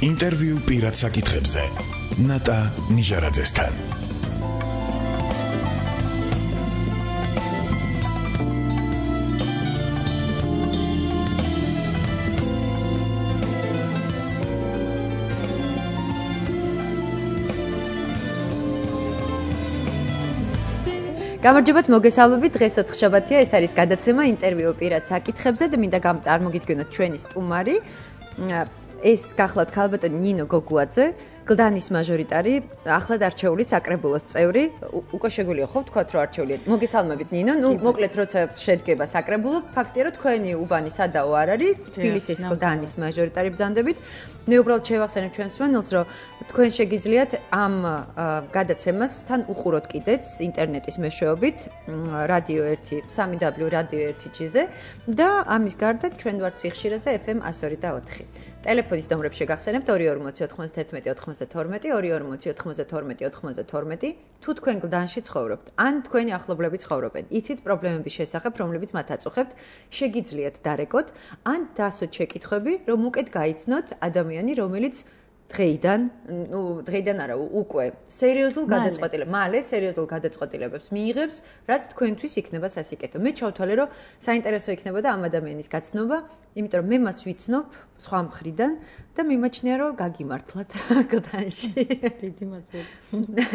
ინტერვიუ პირად საკითხებზე ნატა ნიჟარაძესთან. გამარჯობათ, მოგესალმებით. დღეს ოთხშაბათია, ეს არის გადაცემა ინტერვიუ პირად საკითხებზე და მინდა წარმოგიდგენოთ ჩვენი სტუმარი. ეს გახლავთ ქალბატონი ნინო გოგუაძე, გლდანის მაჟორიტარი, ახლად არჩეული საკრებულოს წევრი. უკვე შეგვიძლია ხო ვთქვათ, რომ არჩეულია. მოგესალმებით ნინო. მოკლედ როცა შედგება საკრებულო, ფაქტია რომ თქვენი უბანი სადაო არ არის, თბილისის გლდანის მაჟორიტარი ბრძანდებით. მე უბრალოდ შევახსენებ ჩვენს მსმენელს, რომ თქვენ შეგიძლიათ ამ გადაცემასთან უყუროთ კიდეც ინტერნეტის მეშვეობით რადიო 1 www.radio1.gz-ზე და ამის გარდა ჩვენ ვართ სიხშირეზე FM 102.4. ტელეფონის ნომრებს შეგახსენებთ 22409192 22409292. თუ თქვენ გლდანში ცხოვრობთ, ან თქვენი ახლობლები ცხოვრობენ, იცით პრობლემების შესახებ, რომლებიც მათ აწუხებთ, შეგიძლიათ დარეკოთ, ან დასვეთ შეკითხვები, რომ უკეთ გაიცნოთ ადამიანი, რომელიც დღეიდან არა, უკვე სერიოზულ გადაწყვეტილებებს მიიღებს, რაც თქვენთვის იქნება სასიკეთო. მე ჩავთვალე, რომ საინტერესო იქნებოდა ამ ადამიანის გაცნობა, იმიტომ რომ მე მას ვიცნობ სხვა მხრიდან და მიმაჩნია, რომ გაგიმართლათ გლდანში. დიდი მადლობა.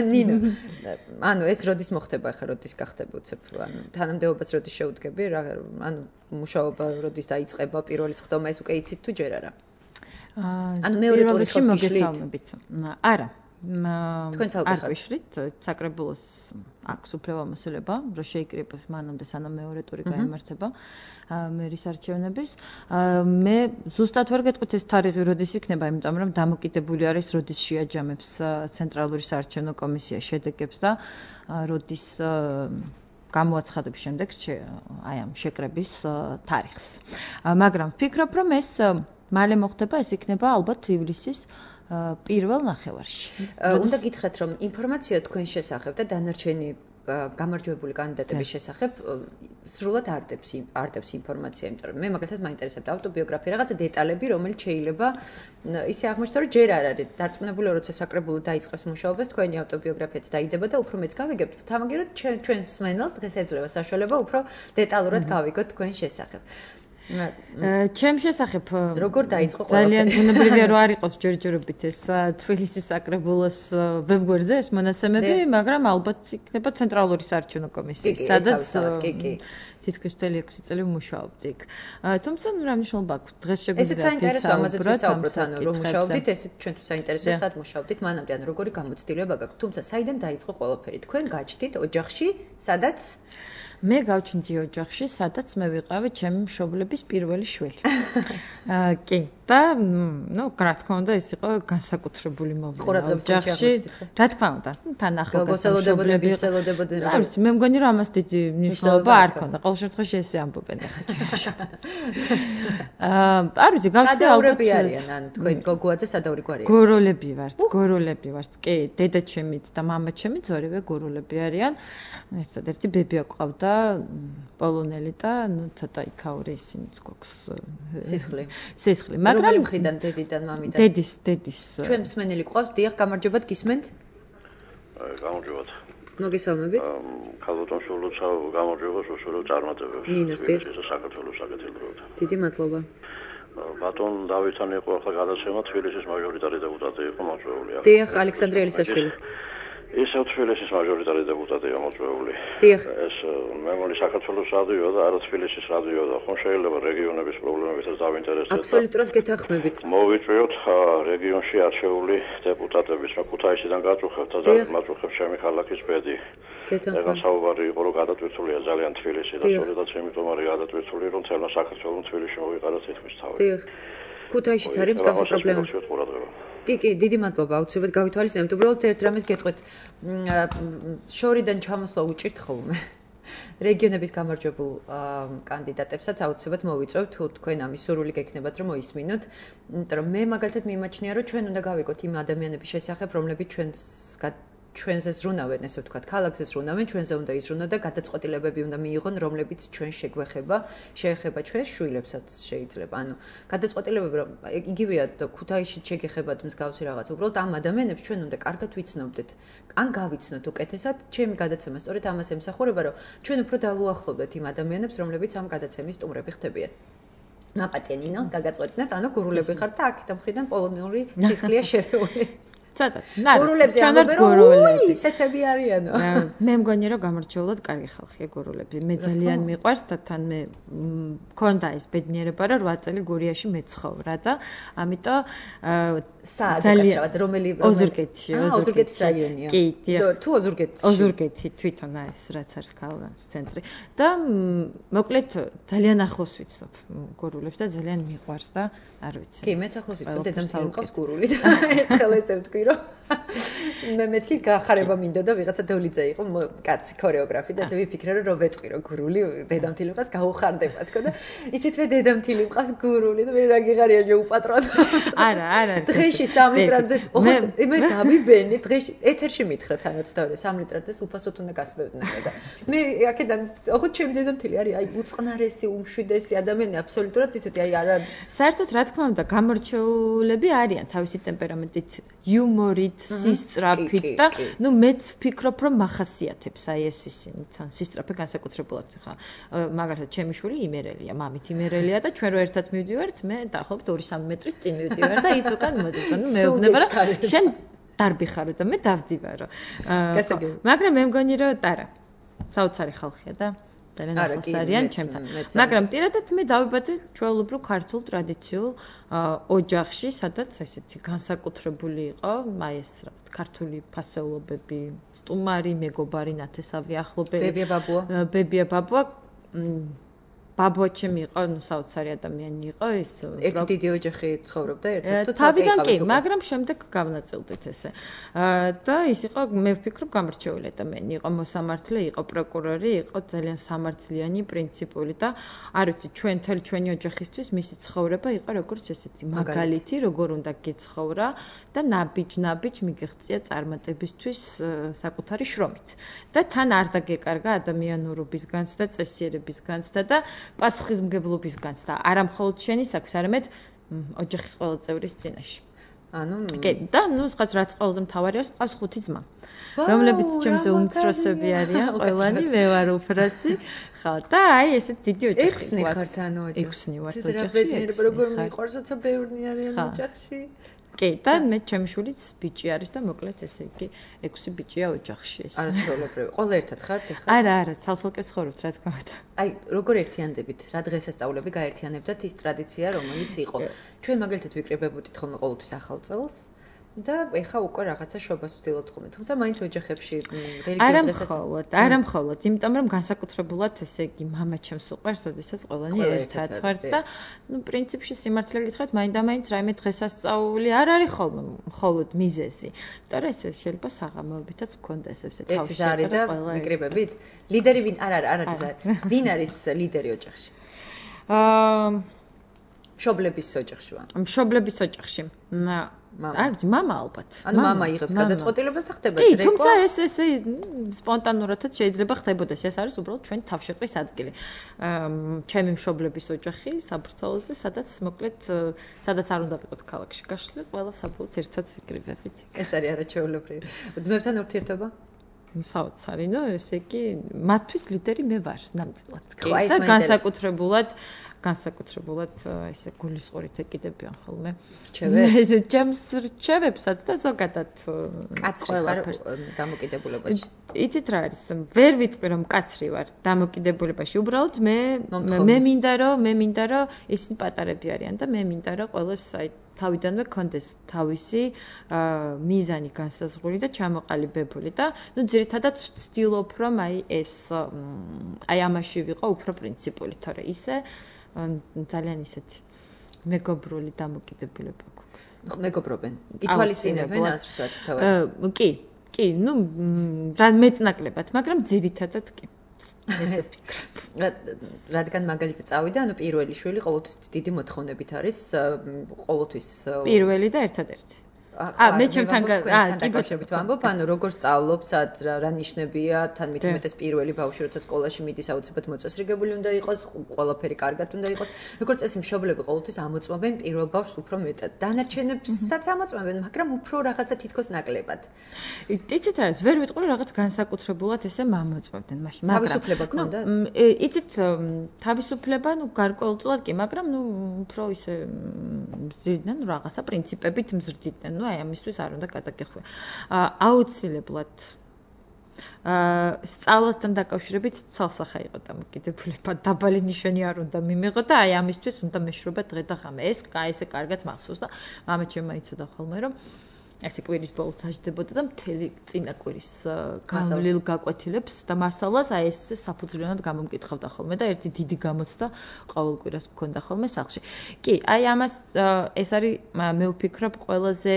ნინო, ანუ ეს როდის მოხდება ახლა, როდის გახდება უცებ, ანუ თანამდებობას როდის შეუდგები, ანუ მუშაობა როდის დაიწყება, პირველი სხდომა ეს უკვე იცით თუ ჯერ არა? ანუ მეორე ტურში მოგესალმებით. არა. თქვენ ცალკე ხართ. საკრებულოს აქვს უფლებამოსილება, რომ შეიკრიბოს მანამდე სანამ მეორე ტური გაიმართება მერის არჩევნების. მე ზუსტად ვერ გეტყვით ეს თარიღი როდის იქნება, იმიტომ რომ დამოკიდებული არის როდის შეაჯამებს ცენტრალური საარჩევნო კომისია შედეგებს და როდის გამოაცხადებს შემდეგ აი ამ შეკრების თარიღს. მაგრამ ვფიქრობ, რომ ეს მალე მოხდება, ეს იქნება ალბათ ივლისის პირველ ნახევარში. უნდა გითხრათ, რომ ინფორმაცია თქვენ შესახებ და დანარჩენი გამარჯვებული კანდიდატების შესახებ სრულად არდებს ინფორმაცია, იმიტომ რომ მე მაგალითად მაინტერესებდა ავტობიოგრაფია, რაღაცა დეტალები, რომელიც შეიძლება ისე აღმოჩნდა, რომ ჯერ არ არის დარწმუნებული, როცა საკრებულო დაიწყებს მუშაობას, თქვენი ავტობიოგრაფიაც დაიდება და უფრო მეც გავიგებთ. თამაგეროთ ჩვენ მსმენელს დღეს ეძლევა საშუალება უფრო დეტალურად გავიგოთ თქვენ შესახებ. ჩემ შესახებ როგორ დაიწყო ყველაფერი? ძალიან ბუნებრივია რომ არ იყოს ჯერჯერობით ეს თბილისის საკრებულოს ვებგვერდზე ეს მონაცემები, მაგრამ ალბათ იქნება ცენტრალური საარჩევნო კომისია, სადაც თითქმის 6 წელი ვმუშაობდი იქ. თუმცა რა მნიშვნელობა აქვს? დღეს შეგვიძლია ესეც საინტერესოა, ამაზე ვისაუბროთ, ანუ რომ მუშაობდით, ესეც ჩვენთვის საინტერესოა, სად მუშაობდით, მანამდე ანუ როგორი გამოცდილება გაქვთ. თუმცა საიდან დაიწყო ყველაფერი? თქვენ გაჩნდით ოჯახში, სადაც მე გავჩნდი ოჯახში, სადაც მე ვიყავი ჩემი მშობლების პირველი შვილი. კი. და რა თქმა უნდა, ეს იყო განსაკუთრებული მოვლენა ოჯახში. რა თქმა უნდა, თან ახალგაზრდები ვიყავდნენ. რა ვიცი, მე მგონი რომ ამას დიდი მნიშვნელობა არ ქონდა. ყოველ შემთხვევაში ესე ამბობენ ახლა ჩემში. არ ვიცი, გავხდი სადაურები არიან, ანუ თქვენ გოგუაძე სადაური გვარია. გორულები ვართ. კი, დედაჩემიც და მამაჩემიც ორივე გორულები არიან. ერთადერთი ბებია ყავდა პოლონელი და ცოტა იქაური ისინიც გვაქვს სისხლი. მაგრამ მხრიდან დედიდან მამიდან დედის ჩვენ მსმენელი ყავს, დიახ, გამარჯობათ, გისმენთ? გამარჯობათ. მოგესალმებით. ქალბატონ შულუცა გამარჯობა, შუშურო წარმატებებს. ნინოს დიახ. საქართველოს საკეთილდროდ. დიდი მადლობა. ბატონ დავითთან იყო ახლა გადაცემა, თბილისის მაჟორიტარი დეპუტატი იყო მოწვეული. დიახ, ალექსანდრე ელისაშვილი. ისევ თბილისის მაჟორიტარი დეპუტატია მოწვეული. დიახ. ეს მე მგონი საქართველოს რადიოა და არა თბილისის რადიოა და ხომ შეიძლება რეგიონების პრობლემებითაც დავინტერესდეთ. აბსოლუტურად გეთანხმებით. მოვიწვიოთ რეგიონში არჩეული დეპუტატების, რა ქუთაისიდან გაწუხებთ და მაწუხებს ჩემი ქალაქის ბედი. ეგა საუბარი იყო, რომ გადატვირთულია ძალიან თბილისი და სწორედაც იმიტომ არის გადატვირთული, რომ თელმა საქართველოს თბილისში მოვიყარა თითქმის თავი. დიახ. ქუთაისშიც არის მსგავსი პრობლემა. კი, დიდი მადლობა, აუცილებლად გავითვალისწინებთ. უბრალოდ ერთ რამეს გეტყვით. შორიდან ჩამოსვლა უჭირთ ხოლმე. რეგიონების გამარჯვებულ კანდიდატებსაც აუცილებლად მოვიწვევთ, თუ თქვენ ამის სურვილი გექნებათ, რომ მოისმინოთ. იმიტომ რომ მე მაგალითად მიმაჩნია, რომ ჩვენ უნდა გავიგოთ იმ ადამიანების შესახებ, რომლებიც ჩვენს ჩვენზე ზრუნავენ, ესე ვთქვათ, ქალაქზე ზრუნავენ, ჩვენზე უნდა იზრუნო და გადაწყვეტილებები უნდა მიიღონ, რომლებიც ჩვენ შეგვეხება ჩვენს შვილებსაც შეიძლება. ანუ გადაწყვეტილებები რომ იგივეა ქუთაისში შეგეხებათ მსგავსი რაღაც. უბრალოდ ამ ადამიანებს ჩვენ უნდა კარგად ვიცნობდეთ. ან გავიცნოთ უკეთესად, ჩემი გადაცემა სწორედ ამას ემსახურება, რომ ჩვენ უფრო დავუახლოვდეთ იმ ადამიანებს, რომლებიც ამ გადაცემის სტუმრები ხდებიან. ნაპატია ნინო, გაგაწყვეტნეთ, ანუ გურულები ხართ და აქეთ ამხრიდან პოლონური სისხლია შერეული. ცოტაც. გურულებზე ამბობენ, ისეთები არიანო. მე მგონი რომ გამორჩეულად კარგი ხალხია გურულები. მე ძალიან მიყვარს და თან მე მქონდა ეს ბედნიერება რომ 8 წელი გურიაში მეცხოვრა და ამიტომ ძალიან რომელი ოზურგეთში ოზურგეთის რაიონია. კი, თუ ოზურგეთში. ოზურგეთი თვითონ ეს რაც არის ქალაქის ცენტრი და მოკლედ ძალიან ახლოს ვიცნობ გურულებს და ძალიან მიყვარს და არ ვიცი. კი, მეც ახლოს ვიცნობ დედამთილი მყავს გურული და ერთხელ ესე ვთქვი რომ მე მეთქი გახარება მინდოდა ვიღაცა დოლიძე იყო კაცი ქორეოგრაფი და ესე ვიფიქრე რომ ვეთყვი რომ გურული დედამთილი მყავს გაუხარდება თქო და იცით მე დედამთილი მყავს გურული და მე რა გიღარია შეუპატრონო. არა დღეში 3 ლიტრამდე მე დავიბენი დღეში ეთერში მითხრა თანაცდავე 3 ლიტრამდე უფასოდ უნდა გასმევდნენ და მე აქედან ოღონდ ჩემი დედამთილი არის აი უწყნარესი უმშვიდესი ადამიანი აბსოლუტურად ისეთი აი არა საერთოდ რა თქმა უნდა გამორჩეულები არიან თავისი ტემპერამენტით იუმორით სისწრაფით და ნუ მეც ვფიქრობ რომ მახასიათებს აი ეს ისინი თან სისწრაფე განსაკუთრებულად ხა მაგალითად ჩემი შვილი იმერელია მამით იმერელია და ჩვენ რო ერთად მივდივართ მე დაახლოებით 2-3 მეტრის წინ მივდივარ და ის უკან მოდის და ნუ მეუბნება რომ შენ დარბი ხარო და მე დავდივარო მაგრამ მე მგონი რომ არა საოცარი ხალხია და ძალიან ახლოს არიან ჩემთან. მაგრამ პირადად მე დავიბადე ჩვეულებრივ ქართულ ტრადიციულ ოჯახში, სადაც ესეთი განსაკუთრებული იყო, აი ეს რაღაც ქართული ფასეულობები, სტუმარი, მეგობარი, ნათესავი ახლობელი. ბებია ბაბუა. ბაბუა ჩემი იყო, ნუ საოცარი ადამიანი იყო, ის ერთი დიდი ოჯახი ცხოვრობდა ერთად თუ თავიდან კი, მაგრამ შემდეგ გავნაწილდით ესე. და ის იყო, მე ვფიქრობ, გამორჩეული ადამიანი იყო, მოსამართლე, იყო პროკურორი, იყო ძალიან სამართლიანი, პრინციპული და არ ვიცი, ჩვენი ოჯახისთვის მისი ცხოვრება იყო როგორც ესეთი მაგალითი, როგორ უნდა გეცხოვრა და ნაბიჯ მიგეღწია წარმატებისთვის საკუთარი შრომით. და თან არ დაგეკარგა ადამიანურობისგანც და წესიერებისგანც და პასუხისმგებლობის განცდა არა მხოლოდ შენი საქმის, არამედ ოჯახის ყველა წევრის წინაშე. ანუ კი, და ნუ სხვა რაც ყველაზე მთავარი არის, ყავს 5 ძმა, რომლებიც ჩემზე უმცროსები არიან, ყველანი მე ვარ უფროსი. ხო, და აი ესეთ დიდი ოჯახი გვაქვს. 6 ვართ ოჯახში. რა ბედნიერება როგორ მიყვარს, როცა ბევრნი არიან ოჯახში. კი, და მე ჩემი შვილიც ბიჭი არის და მოკლედ ესე იგი 6 ბიჭია ოჯახში ეს. არა ჩვეულებრივი. ყველა ერთად ხართ ახლა? არა, ცალ-ცალკე ცხოვრობთ, რა თქმა უნდა. აი, როგორ ერთიანდებით? რა დღესასწაულები გაერთიანებდათ ის ტრადიცია, რომელიც იყო? ჩვენ მაგალითად ვიკრიბებოდით ხოლმე ყოველთვის ახალ წელს. და ეხა უკვე რაღაცა შობას ვცდილობთ ხოლმე, თუმცა მაინც ოჯახებში რელიგიურ დღესასწაულებს არა მხოლოდ, იმიტომ რომ განსაკუთრებულად ესე იგი მამა ჩემს უყვარს, როდესაც ყველანი ერთად ვართ და ნუ პრინციპში სიმართლე გითხრათ, მაინდა-მაინც რაიმე დღესასწაული არ არის ხოლმე მხოლოდ მიზეზი. და ეს შეიძლება საღამოებითაც მქონდეს ესე თავში ზარი და ვიკრიბებით. ლიდერი ვინ? არა ზარი. ვინ არის ლიდერი ოჯახში? მშობლების ოჯახში ვარ. მშობლების ოჯახში. არ ვიცი, მამა ალბათ. ანუ მამა იღებს გადაწყვეტილებას და ხდება რეკო. კი, თუმცა ეს სპონტანურადაც შეიძლება ხდებოდეს. ეს არის უბრალოდ ჩვენი თავშეყრის ადგილი. ჩემი მშობლების ოჯახი საბრძოლოზე, სადაც მოკლედ სადაც არ უნდა ვიყოთ ქალაქში გაშლილი, ყველა საბოლოოდ ერთად ვიკრიბებით. ეს არის არაჩვეულებრივი. ძმებთან ურთიერთობა? საოცარი, ნუ ესე იგი, მათთვის ლიდერი მე ვარ, ნამდვილად. და განსაკუთრებულად ესე გულისყურით ეკიდებიან ხოლმე. ჩემს რჩევებსაც და ზოგადად ყველაფერს დამოკიდებულებაში. იცით რა არის? ვერ ვიტყვი რომ კაცრი ვარ დამოკიდებულებაში. უბრალოდ მე მინდა რომ ისინი პატარები არიან და მე მინდა რომ ყველას აი თავიდანვე კონდეს თავისი მიზანი განსაზღვრული და ჩამოყალიბებული და ნუ ძირითადად ვცდილობ რომ აი ეს აი ამაში ვიყო უფრო პრინციპული, თორე ისე ძალიან ისეთი მეგობრული დამოკიდებულება გვაქვს. მეგობრობენ. ითვალისწინებენ ასრსაც თავად. კი, ნუ რა მეტნაკლებად, მაგრამ ძირითადად კი. ესე ვფიქრობ. რადგან მაგალითად წავიდა, ანუ პირველი შვილი ყოველთვის დიდი მოთხოვნებით არის, ყოველთვის პირველი და ერთადერთი. მე ჩემთან დაკავშირებით ვამბობ, ანუ როგორ სწავლობ, სად რა ნიშნებია, თან მithumetes პირველი ბავშვი როცა სკოლაში მიდის, აუცილებლად მოწესრიგებული უნდა იყოს, ყველაფერი კარგად უნდა იყოს. როგორც წესი მშობლები ყოველთვის ამოწმობენ პირველ ბავშვს უფრო მეტად. დანარჩენებსაც ამოწმობენ, მაგრამ უფრო რაღაცა თითქოს ნაკლებად. იცით რა, ვერ ვიტყვი რაღაც განსაკუთრებულად ესე მამოწმებდნენ მაშინ, მაგრამ თავისუფლება ქონდათ? იცით თავისუფლება, გარკვეულწილად კი, მაგრამ უფრო ისე მზრდიდნენ რაღაცა პრინციპებით მზრდიდნენ. აი ამისთვის არ უნდა გადაგეხვია. აუცილებლად სწავლასთან დაკავშირებით ცალსახა იყო დამოკიდებულება. დაბალი ნიშანი არ უნდა მიმიღო და აი ამისთვის უნდა მეშრობა დღე და ღამე. ეს ესე კარგად მახსოვს და მამაც ჩემმა იცოდა ხოლმე რომ ესე კვირის ბოლოს აჯდებოდა და მთელი წინა კვირის გავლილ გაკვეთილებს და მასალას აი ეს საფუძვლიანად გამომკითხავდა ხოლმე და ერთი დიდი გამოცდა ყოველ კვირას მქონდა ხოლმე სახლში. კი, აი ამას ეს არის მე ვფიქრობ ყველაზე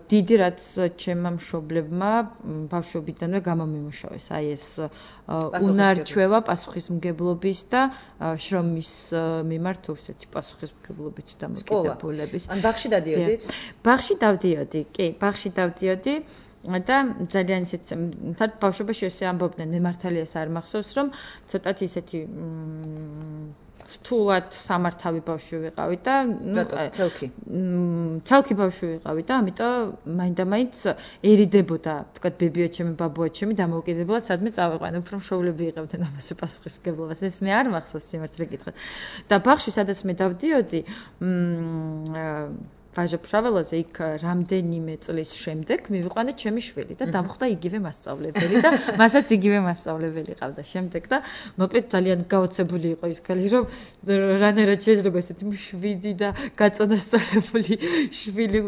დიდი რაც ჩემმა მშობლებმა ბავშვობიდანვე გამომიმუშავეს. აი ეს უნარჩვევა პასუხისმგებლობის და შრომის მიმართ ისეთი პასუხისმგებლობით დამოკიდებულების. ან ბაღში დადიოდით? ბაღში დავდიოდი, კი, ბაღში დავდიოდი და ძალიან ისეთ ბავშვობაში ესე ამბობდნენ, მე მართალიას არ მახსოვს, რომ ცოტათი ისეთი რთულად სამართავი ბავშვი ვიყავი და ცალკი ბავშვი ვიყავი და ამიტომ მაინდა-მაინც ერიდებოდა, თქვა ბებიო ჩემი, ბაბუო ჩემი დამოუკიდებლად სადმე წავიყვანე, უფრო მშობლები იღებდნენ ამასე პასუხისმგებლობას. ეს მე არ მახსოვს სიმართლე გითხრათ. და ბაღში სადაც მე დავდიოდი, ვაჟა-ფშაველაზე იქ რამდენიმე წლის შემდეგ მივიყვანე ჩემი შვილი და დამხვდა იგივე მასწავლებელი და მასაც იგივე მასწავლებელი ყავდა შემდეგ და მოკლედ ძალიან გაოცებული იყო ის ქალი რომ რანაირად შეიძლება ესეთი მშვიდი და გაწონასწორებული შვილი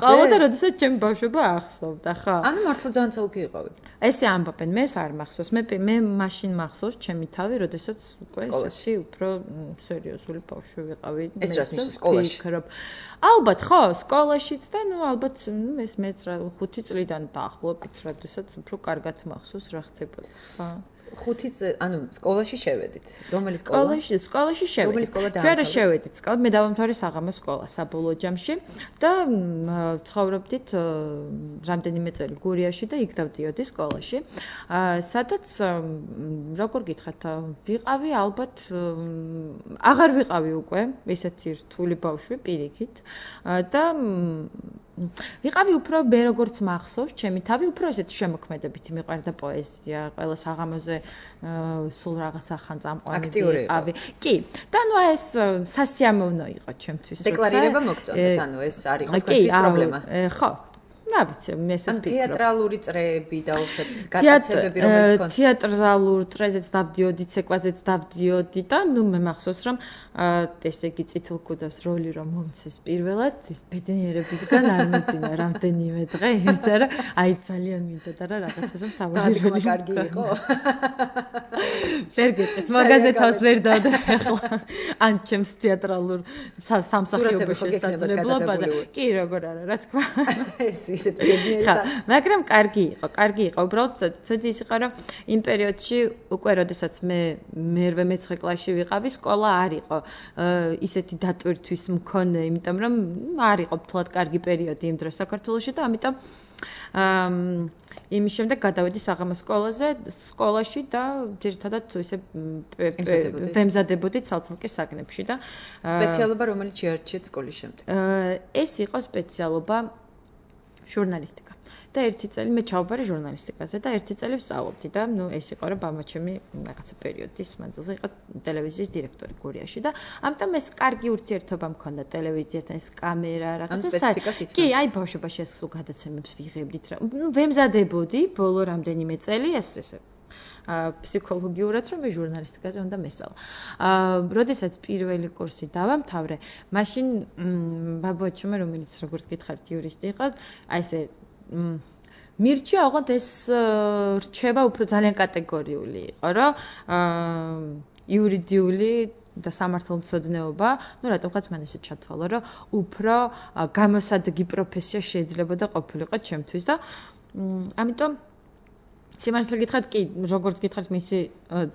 ყავა და როდესაც ჩემი ბავშვობა ახსოვდა ხა ანუ მართლა ძალიან ცალკე იყავი ესე ამბობენ მე არ მახსოვს მე მაშინ მახსოვს ჩემი თავი როდესაც უკვე ესეთი უფრო სერიოზული ბავშვი ვიყავი ეს რაც ნიშნავს სკოლაში ალბათ ხო, სკოლაშიც და ალბათ ეს მეც რა 5 წლიდან დაახლოებით, როდესაც უფრო კარგად მახსოვს რა ხდებოდა. ხო. 5 ანუ სკოლაში შევედით. რომელი სკოლა? სკოლაში შევედით. ჩვენ რა შევედით? სკოლა მე დავამთავრე საღამოს სკოლა საბოლოო ჯამში და ცხოვრობდით რამდენიმე წელი გურიაში და იქ დავდიოდი სკოლაში. სადაც როგორ გითხრათ, ვიყავი ალბათ აღარ ვიყავი უკვე ესეთი რთული ბავშვი პირიქით და ვიყავი უფრო მე როგორც მახსოვს ჩემი თავი უფრო ესეთ შემოქმედებითი მიყვარდა პოეზია ყველა საღამოზე სულ რაღაც ახან წამყვანი ვიყავი კი და ნუ ეს სასიამოვნო იყო ჩემთვის დეკლარირება მოგწონდეთ ანუ ეს არ იყო თქვენთვის პრობლემა ხო რა ვიცი მე ესე ვფიქრობ თეატრალური წრეები დაუშვათ გატაცებები რომელიც ქონდა თეატრალურ წრეზეც დავდიოდი ცეკვაზეც დავდიოდი და ნუ მე მახსოვს რომ ესე იგი წითელ კუდავს როლი რომ მომცეს პირველად ის ბედნიერებისგან არ მეძინა რამდენიმე დღე იმიტომ რომ აი ძალიან მინდოდა რა რაღაცას თავი როლი კარგი იყო ვერ გეტყვით მაგაზე თავს ვერ დავდა ახლა ან ჩემს თეატრალურ სამსახიობო შესაძლებლობაზე კი როგორ არა რა თქმა ეს ისეთ ბედნიერია მაგრამ კარგი იყო უბრალოდ ცოტა ის იყო რომ იმ პერიოდში უკვე როდესაც მე მერვე მეცხრე კლასში ვიყავი სკოლა არ იყო ისეთი დატვირთვის მქონე იმიტომ რომ არ იყო თლად კარგი პერიოდი იმ დროს საქართველოში და ამიტომ იმის შემდეგ გადავედი საღამოს სკოლაში და ძირითადად ისე ვემზადებოდი ცალ-ცალკე საგნებში და სპეციალობა რომელიც შეარჩიეთ სკოლის შემდეგ ეს იყო სპეციალობა ჟურნალისტიკა და ერთი წელი მე ჩავაბარე ჟურნალისტიკაზე და ერთი წელი ვსწავლობდი და ნუ ეს იყო რომ ბამაჩემი რაღაცა პერიოდის მანძილზე იყო ტელევიზიის დირექტორი გურიაში და ამიტომ ეს კარგი ურთიერთობა მქონდა ტელევიზიასთან ეს კამერა რაღაცა კი აი ბავშვობაში ეს გადაცემებს ვიღებდით რა ნუ ვემზადებოდი ბოლო რამდენიმე წელი ესე ფსიქოლოგიურად რომ ჟურნალისტიკაზე უნდა მესწავლა. როდესაც პირველი კურსი დავამთავრე, მაშინ ბაბუაჩემ რომელიც როგორც გითხარით იურისტი იყო, აი ესე მირჩია ოღონდ ეს რჩება უფრო ძალიან კატეგორიული იყო, რომ იურიდიული და სამართალმცოდნეობა, ну რატომღაც მან ესე ჩათვალა, რომ უფრო გამოსადეგი პროფესია შეიძლებოდა ყოფილიყო ჩემთვის და ამიტომ სიმართლე გითხრათ, კი, როგორც გითხრათ, მისი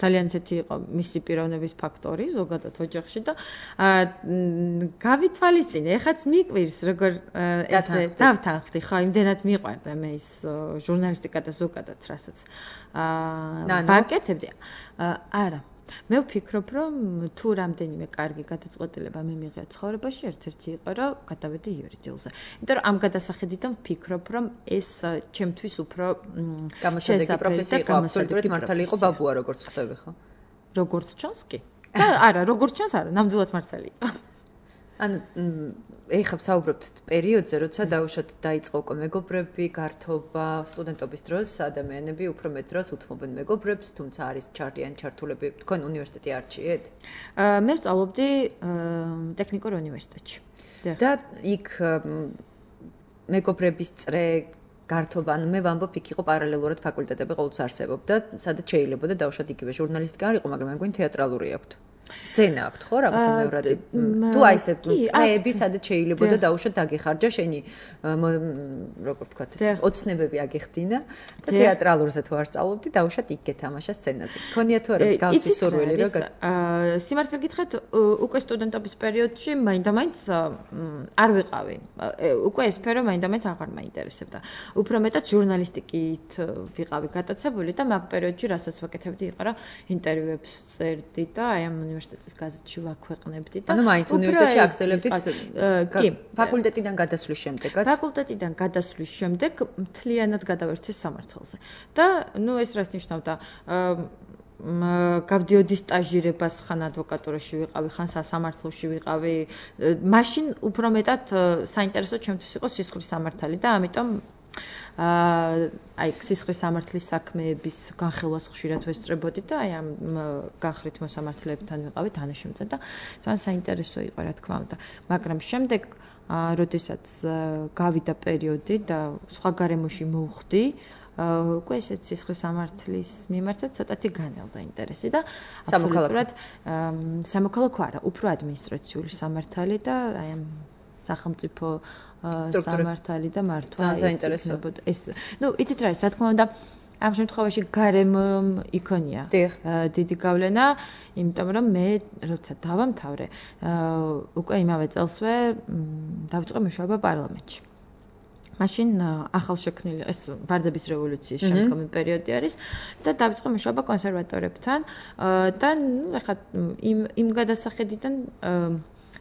ძალიან ისეთი იყო მისი პიროვნების ფაქტორი ზოგადად ოჯახში და გავითვალისწინე, ეხაც მიკვირს, როგორ ესე დავთანხმდი, ხო, იმდენად მიყვარდა მე ის ჟურნალისტიკა და ზოგადად რასაც ვაკეთებდი. არა. მე ვფიქრობ, რომ თუ რამდენიმე კარგი გადაწყვეტილება მე მიღია ცხოვრებაში, ერთ-ერთი იყო, რომ გადავედი იურიდიულზე. იმიტომ რომ ამ გადასახედიდან ვფიქრობ, რომ ეს ჩემთვის უფრო გამოსადეგი პროფესია იყო, აბსოლუტურად მართალი იყო ბაბუა, როგორც ხვდები, ხო? როგორც ჩანს კი. და არა, როგორც ჩანს, არა, ნამდვილად მართალი იყო. ანუ ეხლა ვსაუბრობთ პერიოდზე, როცა დაუშვათ დაიწყო უკვე მეგობრები, გართობა, სტუდენტობის დროს ადამიანები უფრო მეტ დროს უთმობენ მეგობრებს, თუმცა არის ჩართულები, თქვენ უნივერსიტეტი არჩიეთ? მე ვსწავლობდი ტექნიკურ უნივერსიტეტში. და იქ მეგობრების წრე გართობა, ანუ მე ვამბობ, იქ იყო პარალელურად ფაკულტეტები ყოველთვის არსებობდა, სადაც შეიძლებოდა დაუშვათ იგივე ჟურნალისტიკა არ იყო, მაგრამ მე მგონი თეატრალური აქვთ. სცენა აქვთ ხო რაღაცა მეორადი თუ აი ესე წრეები სადაც შეიძლებოდა დაუშვათ დაგეხარჯა შენი როგორ ვთქვათ ეს ოცნებები აგეხდინა და თეატრალურზე თუ არ სწავლობდი დაუშვათ იქ გეთამაშა სცენაზე ქონია თუ არა მსგავსი სურვილი რო სიმართლე გითხრათ უკვე სტუდენტობის პერიოდში მაინდა-მაინც არ ვიყავი უკვე ეს სფერო მაინდა-მაინც აღარ მაინტერესებდა უფრო მეტად ჟურნალისტიკით ვიყავი გატაცებული და მაგ პერიოდში რასაც ვაკეთებდი იყო რა ინტერვიუებს წერდი და აი ამ უნივერსიტეტის გაზეთში ვაქვეყნებდი და ანუ მაინც უნივერსიტეტში აგრძელებდით კი ფაკულტეტიდან გადასვლის შემდეგაც ფაკულტეტიდან გადასვლის შემდეგ მთლიანად გადავერთე სამართალზე და ნუ ეს რას ნიშნავდა გავდიოდი სტაჟირებას ხან ადვოკატურაში ვიყავი ხან სასამართლოში ვიყავი მაშინ უფრო მეტად საინტერესო ჩემთვის იყო სისხლის სამართალი და ამიტომ აი სისხლის სამართლის საქმეების განხილვას ხშირად ვესწრებოდი და აი ამ განხრით მოსამართლეებთან ვიყავი თანაშემწე და ძალიან საინტერესო იყო რა თქმა უნდა მაგრამ შემდეგ როდესაც გავიდა პერიოდი და სხვა გარემოში მოვხვდი უკვე ესეც სისხლის სამართლის მიმართაც ცოტათი განელდა ინტერესი და აბსოლუტურად სამოქალაქო არა უფრო ადმინისტრაციული სამართალი და აი ამ სახელმწიფო სამართალი და მართვა ეს ნუ იცით რა ის რა თქმა უნდა ამ შემთხვევაში გარემომ იქონია დიდი გავლენა იმიტომ რომ მე როცა დავამთავრე უკვე იმავე წელსვე დავიწყე მუშაობა პარლამენტში მაშინ ახალშექმნილი ეს ვარდების რევოლუციის შემდგომი პერიოდი არის და დავიწყე მუშაობა კონსერვატორებთან და ნუ ეხლა იმ გადასახედიდან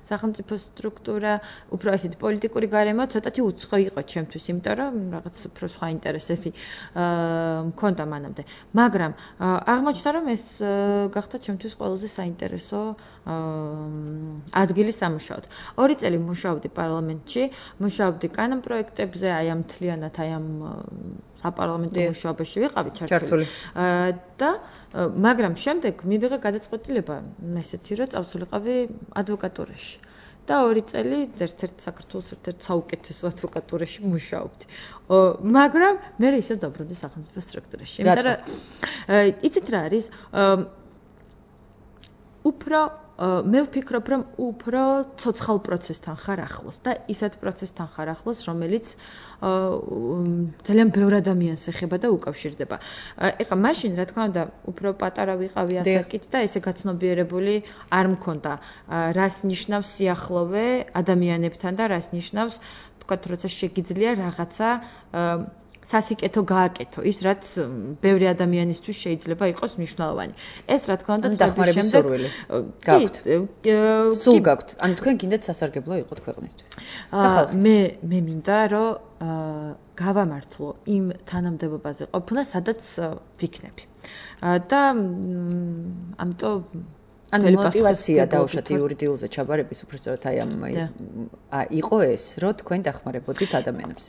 სახელმწიფო სტრუქტურა, უფრო ესეთი პოლიტიკური გარემო ცოტათი უცხო იყო ჩემთვის, იმიტომ რომ რაღაც უფრო სხვა ინტერესები მქონდა მანამდე. მაგრამ აღმოჩნდა რომ ეს გახდა ჩემთვის ყველაზე საინტერესო ადგილი სამუშაოდ. 2 წელი მუშაობდი პარლამენტში, მუშაობდი კანონპროექტებზე, აი ამ მთლიანად აი ამ საპარლამენტო მუშაობაში ვიყავი ჩართული. და მაგრამ შემდეგ მივიღე გადაწყვეტილება ესეთი რომ წავსულიყავი ადვოკატურაში და 2 წელი ერთ-ერთ საქართველოს ერთ-ერთ საუკეთესო ადვოკატურაში მუშაობდი. მაგრამ მე ისევ დაბრუნდი სახელმწიფო სტრუქტურაში. იმიტომ რომ იცით რა არის უფრო მე ვფიქრობ რომ უფრო ცოცხალ პროცესთან ხარ ახლოს და ისეთ პროცესთან ხარ ახლოს რომელიც ძალიან ბევრ ადამიანს ეხება და უკავშირდება. ეხლა მაშინ რა თქმა უნდა უფრო პატარა ვიყავი ასაკით და ესე გაცნობიერებული არ მქონდა რას ნიშნავს სიახლოვე ადამიანებთან და რას ნიშნავს თქვათ როცა შეგიძლია რაღაცა სასიკეთო გააკეთო ის რაც ბევრი ადამიანისთვის შეიძლება იყოს მნიშვნელოვანი. ეს რა თქმა უნდა დახმარების სურვილი გაქვთ. სულ გაქვთ. ანუ თქვენ გინდათ სასარგებლო იყოთ ქვეყნისთვის. მე მინდა რომ გავამართლო იმ თანამდებობაზე ყოფნა სადაც ვიქნები. და ამიტომ ანუ мотиваცია დაუშვათ იურიდიულზე ჩაბარების უბრალოდ აი ამ იყო ეს რომ თქვენ დახმარებოდით ადამიანებს.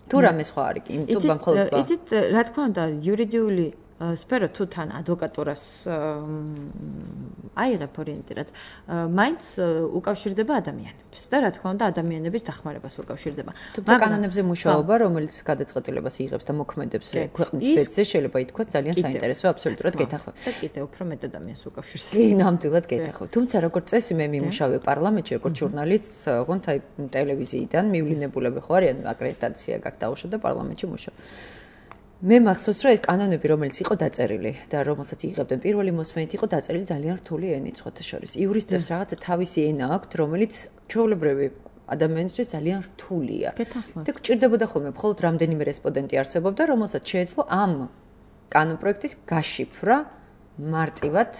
თუ რამე სხვა არის კი, იმიტომ მხოლოდ იცით, რა თქმა უნდა, იურიდიული სფერო თუ თან ადვოკატურას აიღებ ორიენტირად, მაინც უკავშირდება ადამიანებს და რა თქმა უნდა, ადამიანების დახმარებას უკავშირდება. თუმცა კანონებზე მუშაობა, რომელიც გადაწყვეტილებას იღებს და მოქმედებს ქვეყნის ბედზე, შეიძლება ითქვას ძალიან საინტერესო, აბსოლუტურად გეთახმება. და კიდევ უფრო მეტ ადამიანს უკავშირდება. კი, ნამდვილად გეთახმება. თუმცა როგორც წესი მე მიმუშავე პარლამენტში, როგორც ჟურნალისტს, ოღონდ აი ტელევიზიიდან მივლინებულები ხო არიან, აკრედიტაცია გაქვს დაუშვა და პარლამენტში მუშაობ. მე მახსოვს რომ ეს კანონები რომელიც იყო დაწერილი და რომელსაც იღებდნენ პირველი მოსმენით იყო დაწერილი ძალიან რთული ენით სხვათა შორის. იურისტებს რაღაცა თავისი ენა აქვთ რომელიც ჩვეულებრივი ადამიანისთვის ძალიან რთულია. და გჭირდებოდა ხოლმე მხოლოდ რამდენიმე რესპონდენტი არსებობდა რომელსაც შეეძლო ამ კანონპროექტის გაშიფრა მარტივად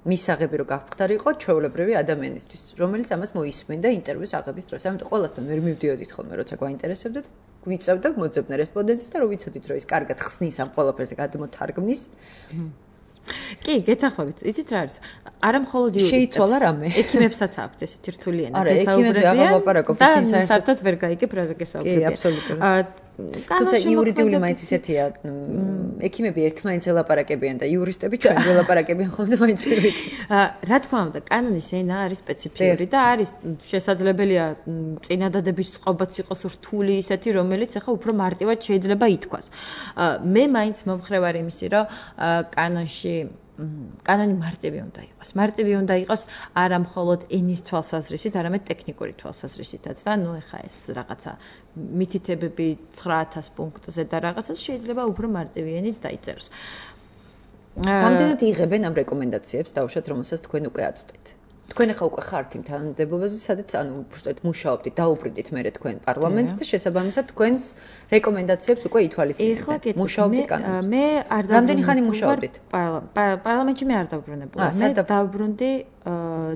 მისაღები რო გავხდარიყო ჩვეულებრივი ადამიანისთვის, რომელიც ამას მოისმენდა ინტერვიუს აღების დროს. ამიტომ ყველასთან ვერ მივდიოდით ხოლმე, როცა გვაინტერესებდათ, გვიწევდა მოძებნა რესპონდენტის და რო ვიცოდით, რომ ის კარგად ხსნის ამ ყველაფერს და გადმოთარგმნის. კი, გეთახმებით. იცით რა არის? არა მხოლოდ შეიცვალა რამე. ექიმებსაც აქვთ ესეთი რთული ენა. არა, ექიმები აღარ ლაპარაკობ, ისინი საერთოდ ვერ გაიგებ რაზე გესაუბრებია. კი, აბსოლუტურად. თუმცა იურიდიული მაინც ისეთია, ექიმები ერთმანეთს ელაპარაკებიან და იურისტები ჩვენ ველაპარაკებიან ხოლმე მაინც პირველით. რა თქმა უნდა, კანონის ენა არის სპეციფიური და არის შესაძლებელია წინადადების წყობაც იყოს რთული ისეთი, რომელიც ახლა უფრო მარტივად შეიძლება ითქვას. მე მაინც მომხრევ არ იმისი, რომ კანონი მარტივი უნდა იყოს. მარტივი უნდა იყოს არა მხოლოდ ენის თვალსაზრისით, არამედ ტექნიკური თვალსაზრისითაც და ნუ ეხა ეს რაღაცა მითითებები 9000 პუნქტზე და რაღაცას შეიძლება უფრო მარტივი ენით დაიწეროს. რამდენად იღებენ ამ რეკომენდაციებს დაუშვათ, რომელსაც თქვენ უკვე აწვდით? თქვენ ახლა უკვე ხართ იმ თანამდებობაზე, სადაც ანუ უბრალოდ მუშაობდით, დაუბრუნდით მერე თქვენ პარლამენტს და შესაბამისად თქვენს რეკომენდაციებს უკვე ითვალისწინებთ. მუშაობდით კანონზე. მე არ რამდენი ხანი მუშაობდით? პარლამენტში მე არ დავუბრუნებულა. მე დავუბრუნდი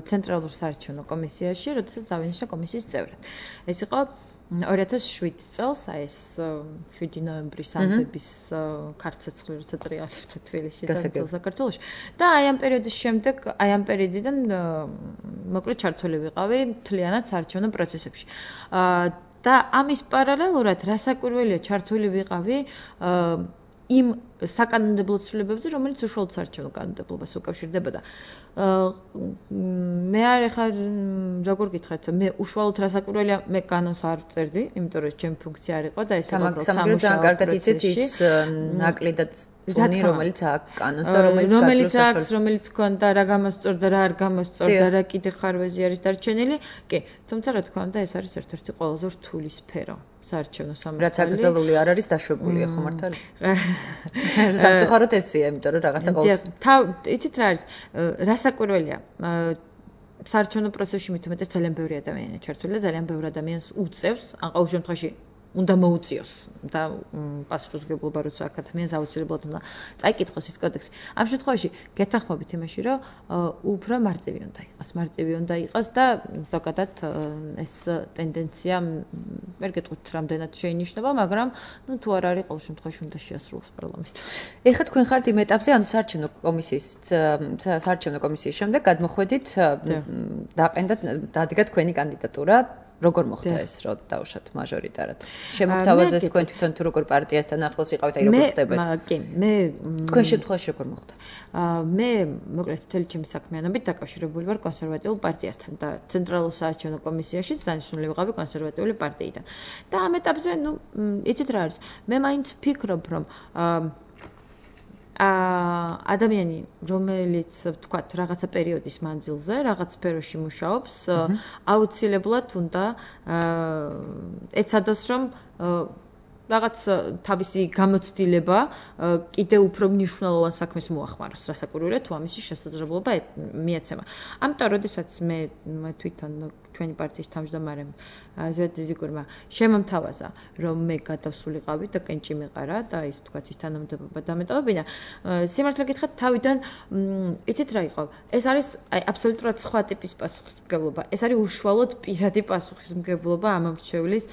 ცენტრალურ საარჩევნო კომისიაში, როდესაც დავინიშნა კომისიის წევრად. ეს იყო 2007 წელს, აი ეს 7 ნოემბრის ამდების ქართლ-ცეცხლი როცა ტრიალებდა თბილისში და საქართველოში. და აი ამ პერიოდის შემდეგ, აი ამ პერიოდიდან მოკლედ ჩართული ვიყავი მთლიანად საარჩევნო პროცესებში. და ამის პარალელურად რასაკვირველია ჩართული ვიყავი იმ საკანონმდებლო ცვლილებებზე, რომელიც უშუალოდ საარჩევნო კანონმდებლობას უკავშირდებოდა. მე არ ეხარ როგორ გითხრათ, მე უშუალოდ რასაკვირველია, მე კანონს არ წერდი, იმიტომ რომ ჩემი ფუნქცია არ იყო და ეს იყო სამუშაო კარგად იცით ის ნაკლი და წუნი, რომელიც აქვს კანონს და რომელიც ქონდა რა გამოსწორდა, რა არ გამოსწორდა, რა კიდე ხარვეზი არის დარჩენილი. კი, თუმცა რა თქმა უნდა, ეს არის ერთ-ერთი ყველაზე რთული სფერო. საარჩევნო სამართალი. რაც აკრძალული არ არის დაშვებულია, ხო მართალი? სამწუხაროდ ესეა, იმიტომ რომ რაღაცა ყოველთვის. იცით რა არის? რასაკვირველია? საარჩევნო პროცესში მithumetes ძალიან ბევრი ადამიანია ჩართული და ძალიან ბევრი ადამიანს უწევს, ან ყოველ შემთხვევაში უნდა მოუწიოს და პასუხისმგებლობა როცა აქ ადამიანს აუცილებლად უნდა წაიკითხოს ის კოდექსი. ამ შემთხვევაში გეთანხმებით იმაში, რომ უფრო მარტივი უნდა იყოს. მარტივი უნდა იყოს და ზოგადად ეს ტენდენცია ვერ გეტყვით რამდენად შეინიშნება, მაგრამ ნუ თუ არ არის ყოველ შემთხვევაში უნდა შეასრულოს პარლამენტი. ეხლა თქვენ ხართ იმ ეტაპზე, ანუ საარჩევნო კომისიის შემდეგ გადმოხვედით დადგა თქვენი კანდიდატურა. როგორ მოხდა ეს, რომ დავუშვათ მაჟორიტარად? შემოგთავაზეთ თქვენ თვითონ თუ როგორ პარტიასთან ახლოს იყავით, აი როგორ ხდება ეს? კი, მე თქვენ შემთხვევაში როგორ მოხდა? მე მოკლედ მთელი ჩემი საქმიანობით დაკავშირებული ვარ კონსერვატიულ პარტიასთან და ცენტრალურ საარჩევნო კომისიაშიც დანიშნული ვიყავი კონსერვატიული პარტიიდან. და ამ ეტაპზე, ნუ, იცით რა არის? მე მაინც ვფიქრობ, რომ ადამიანი, რომელიც ვთქვათ, რაღაცა პერიოდის მანძილზე, რაღაც სფეროში მუშაობს, აუცილებლად უნდა ეცადოს, რომ რაღაც თავისი გამოცდილება კიდე უფრო მნიშვნელოვან საქმეს მოახმაროს, რასაკვირველია თუ ამისი შესაძლებლობა მიეცემა. ამიტომ, როდესაც მე თვითონ ჩვენი პარტიის თავმჯდომარემ ზვიად ზიგურმა შემომთავაზა, რომ მე გადავსულიყავი და კენჭი მიყარა და ის თქვათ ის თანამდებობა დამეტოვებინა. სიმართლე გითხრათ, თავიდან იცით რა იყო? ეს არის აბსოლუტურად სხვა ტიპის პასუხისმგებლობა. ეს არის უშუალოდ პირადი პასუხისმგებლობა ამ მრჩევლის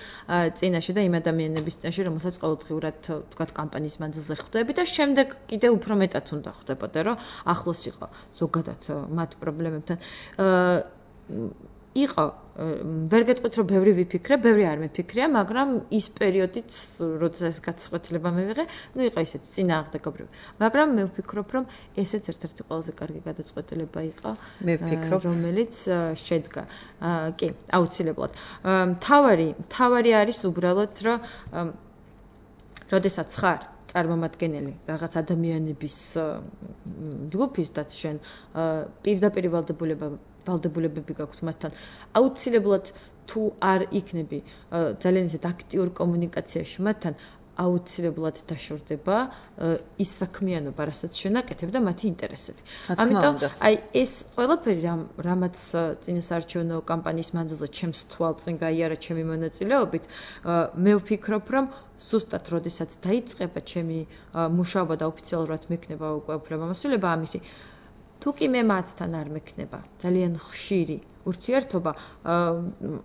წინაშე და იმ ადამიანების წინაშე, რომელსაც ყოველდღიურად თქვათ კამპანიის მანძილზე ხვდები და შემდეგ კიდე უფრო მეტად უნდა ხვდებოდა, რომ ახლოს იყო ზოგადად მათ პრობლემებთან. იყო ვერ გეტყვით რომ ბევრი ვიფიქრე, ბევრი არ მეფიქრია, მაგრამ ის პერიოდიც, როცა ეს გაწყვეტილება მივიღე, ნუ იყო ისეთი წინააღმდეგობრივი. მაგრამ მე ვფიქრობ, რომ ესეც ერთ-ერთი ყველაზე კარგი გადაწყვეტილება იყო, რომელიც შედგა. კი, აუცილებლად. თავარი არის უბრალოდ, რომ როდესაც ხარ წარმომადგენელი რაღაც ადამიანების ჯგუფის და შენ პირდაპირ ვალდებულებები გაქვს მათთან. აუცილებლად თუ არ იქნები ძალიან ისეთ აქტიურ კომუნიკაციაში მათთან, აუცილებლად დაშორდება ის საქმიანობა, რასაც შენაკეთებ და მათი ინტერესები. ამიტომ აი ეს ყველაფერი რამაც წინასაარჩევნო კამპანიის მანძილზე ჩემს თვალწინ გაიარა ჩემი მონაწილეობით, მე ვფიქრობ, რომ ზუსტად როდესაც დაიწყება ჩემი მუშაობა და ოფიციალურად მექნება უკვე უფლებამოსილება ამისი, თუ კი მე მათთან არ მექნება ძალიან ხშირი ურთიერთობა,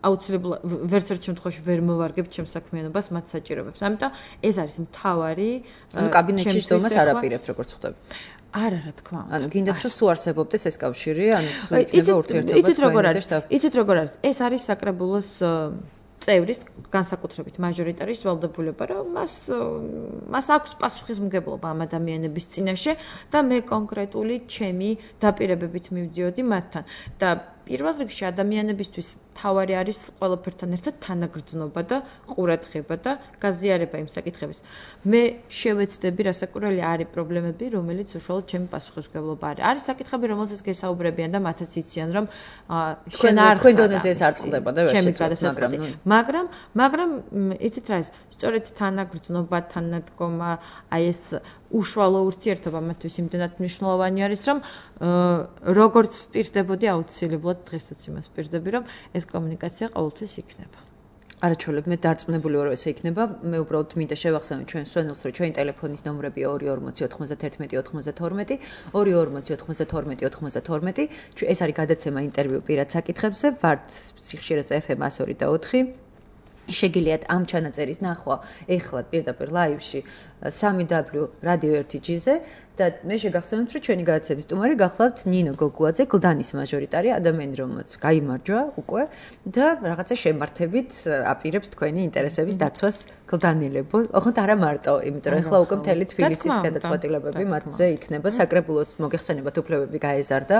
აუცილებლად ვერც ერთ შემთხვევაში ვერ მოვარგებ ჩემს საქმიანობას მათ საჭიროებებს. ამიტომ ეს არის მთავარი ანუ კაბინეტში ჯდომას არ აპირებთ, როგორც ხვდები. არა, რა თქმა უნდა. ანუ გინდათ რომ სულ არსებობდეს ეს კავშირი, ანუ სულ იქნება ურთიერთობა. იცით როგორ არის? ეს არის საკრებულოს წევრის განსაკუთრებით მაჟორიტარის ვალდებულება, რომ მას აქვს პასუხისმგებლობა ამ ადამიანების წინაშე და მე კონკრეტული ჩემი დაპირებებით მივდიოდი მათთან და პირველ რიგში ადამიანებისთვის თავარი არის ყველაფერთან ერთად თანაგრძნობა და ყურადღება და გაზიარება იმ საკითხების. მე შევეცდები, რასაკვირველია, არის პრობლემები, რომელიც უშუალოდ ჩემი პასუხისმგებლობა არის. არის საკითხები, რომელზეც გესაუბრებიან და მათაც იციან, რომ შენ არ თქვენ დონეზე ეს არ წყდება და მაგრამ იცით რა ის, სწორედ თანაგრძნობა, თანადგომა, აი ეს უშუალო ურთიერთობა მათთვის იმდენად მნიშვნელოვანი არის, რომ როგორც ვპირდებოდი აუცილებლად დღესაც იმას ვპირდები, რომ ეს კომუნიკაცია ყოველთვის იქნება. არაჩვენებ, მე დარწმუნებული ვარ, რომ ესე იქნება. მე უბრალოდ მინდა შევახსენო ჩვენ სვენელს, რომ ჩვენი ტელეფონის ნომრები 22409192, 224092. ეს არის გადაცემა ინტერვიუ პირად საკითხებზე, ვართ სიხშირეზე FM 102 და 4. შეგიძლიათ ამ ჩანაწერის ნახვა ეხლა პირდაპირ ლაივში 3W Radio 1G-ზე და მე შეგახსენებთ, რომ ჩვენი გადაცემის სტუმარი გახლავთ ნინო გოგუაძე, გლდანის მაჟორიტარი, ადამიანი, რომელიც გაიმარჯვა უკვე და რაღაცა შემართებით აპირებს თქვენი ინტერესების დაცვას გლდანილებო. ოღონდ არა მარტო, იმიტომ რომ ეხლა უკვე მთელი თბილისის გადაწყვეტილებები მათზე იქნება, საკრებულოს მოგეხსენებათ უფლებები გაეზარდა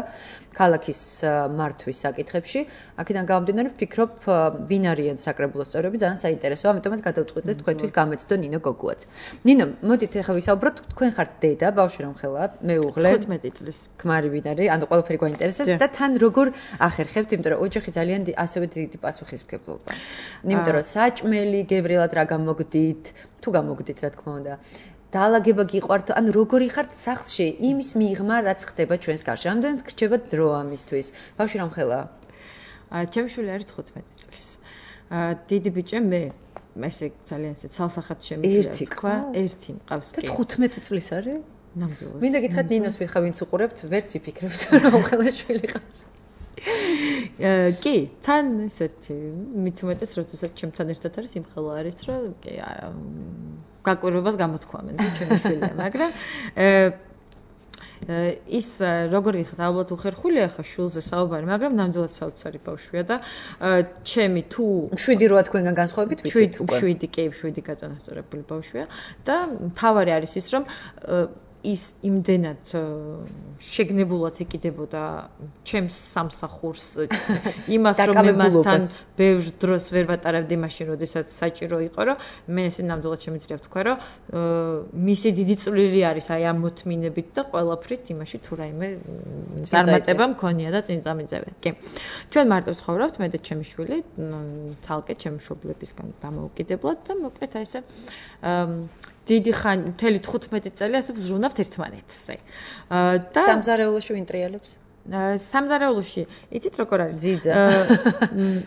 ქალაქის მართვის საკითხებში. აქედან გამომდინარე ვფიქრობ, ვინ არიან საკრებულოს წევრები, ძალიან საინტერესოა, ამიტომაც გადავწყვეტეთ თქვენთვის გამეცდო ნინო გოგუაძე. ნინო, მოდით ახლა ვისაუბროთ, თქვენ ხართ დედა, ბავშვი რომ ხელა, მეუღლე 15 წლის. ქმარი ვინ არის, ანუ ყველაფერი გვაინტერესებს და თან როგორ ახერხებთ, იმიტომ რომ ოჯახი ძალიან ასევე დიდი პასუხისმგებლობა. იმიტომ რომ საჭმელი, გებრიელად რა გამოგდით, თუ გამოგდით, რა თქმა უნდა. დაალაგება გიყვართ, ანუ როგორი ხართ სახლში იმის მიღმა, რაც ხდება ჩვენს გარშე. ამდენად გრჩება დრო ამისთვის. ბავშვი რომ ხელა? ჩემი შვილი არის 15 წლის. დიდი ბიჭე მე ესე ძალიან ესე ცალსახად შემიძლია თქვა, ერთი მყავს კი. და 15 წლის არის? ნამდვილად. მინდა გითხრათ ნინოს ვიხა ვინც უყურებთ, ვერც იფიქრებთ რომ ხელა შვილი ყავს. კი, თან ესეთი მით უმეტეს როდესაც ჩემთან ერთად არის იმხელა არის, რომ კი გაკვირვებას გამოთქვამენ ჩემი შვილია, მაგრამ ის როგორი ხარ ალბათ უხერხულია ხა შულზე საუბარი, მაგრამ ნამდვილად საოცარი ბავშვია და ჩემი თუ 7 როა თქვენგან განსხვავებით ვიცით უკვე 7 გაწონასწორებული ბავშვია და თავარი არის ის რომ ის იმდენად შეგნებულად ეკიდებოდა ჩემს სამსახურს იმას რომ მე მასთან ბევრ დროს ვერ ვატარებდი მაშინ როდესაც საჭირო იყო რომ მე ესე ნამდვილად შემიძლია ვთქვა რომ მისი დიდი წვლილი არის აი ამ მოთმინებით და ყველაფრით იმაში თუ რაიმე წარმატება მქონია და წინ წამიწევენ. კი. ჩვენ მარტო ვცხოვრობთ მე და ჩემი შვილი ცალკე ჩემი მშობლებისგან დამოუკიდებლად და მოკლედ აი ესე დიდი ხანი მთელი 15 წელი ასე ვზრუნავთ ერთმანეთზე. და სამზარეულოში ვინტრიალებს? სამზარეულოში იცით როგორ არის ძიძა?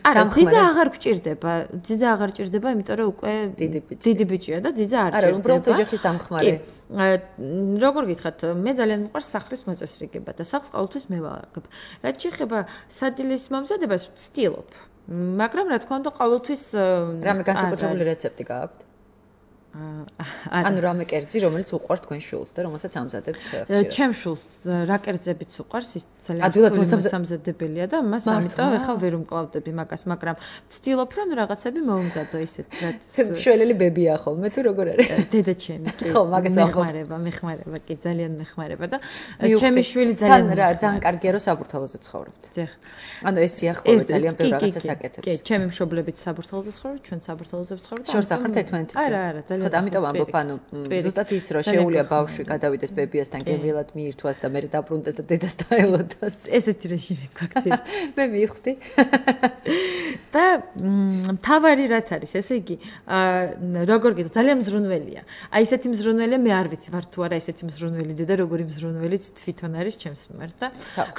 არა, ძიძა აღარ გჭირდება. ძიძა აღარ ჭირდება, იმიტომ რომ უკვე დიდი ბიჭია და ძიძა არ ჭირდება. არა, უბრალოდ ოჯახის დამხმარე. როგორ გითხრათ, მე ძალიან მიყვარს სახლის მოწესრიგება და სახლს ყოველთვის მე ვაარგებ. რაც შეეხება სადილის მომზადებას, ვცდილობ. მაგრამ რა თქმა უნდა, ყოველთვის რამე განსაკუთრებული რეცეპტი გააქვთ? ანუ რამე კერძი, რომელიც უყვარს თქვენ შულს და რომელსაც ამზადებთ ხშირად. ჩემ შულს რა კერძებიც უყვარს, ის ძალიან მოსამზადებელია და მას ამიტომ ახლა ვერ უმკლავდები მაგას, მაგრამ ვცდილობ რომ რაღაცები მოუმზადო ისეთ რაც შველელი ბებია ხოლმე თუ როგორ არის? დედა ჩემი კი. ხო, მაგას მეხმარება, კი, ძალიან მეხმარება და ჩემი შვილი ძალიან კარგია რომ საბურთალოზე ცხოვრობთ. დიახ. ანუ ეს სიახლოვე ძალიან ბევრ რაღაცას აკეთებს. კი, ჩემი მშობლებიც საბურთალოზე ცხოვრობენ, ჩვენ საბურთალოზე ვცხოვრობთ. შორს ახართ ერთმანეთისგან? არა, ნახოთ, ამიტომ ამბობ, ანუ ზუსტად ის რომ შეუულია ბავშვი გადავიდეს ბებიასთან გემრიელად მიირთვას და მე დაბრუნდეს და დედას დაელოდოს. ესეთი რეჟიმი გვაქვს. მე მივხვდი. და მთავარი რაც არის, ესე იგი, როგორ გიხ ძალიან მზრუნველია. აი ესეთი მზრუნველია მე არ ვიცი ვარ თუ არა ესეთი მზრუნველი დედა, როგორი მზრუნველიც თვითონ არის ჩემს მიმართ და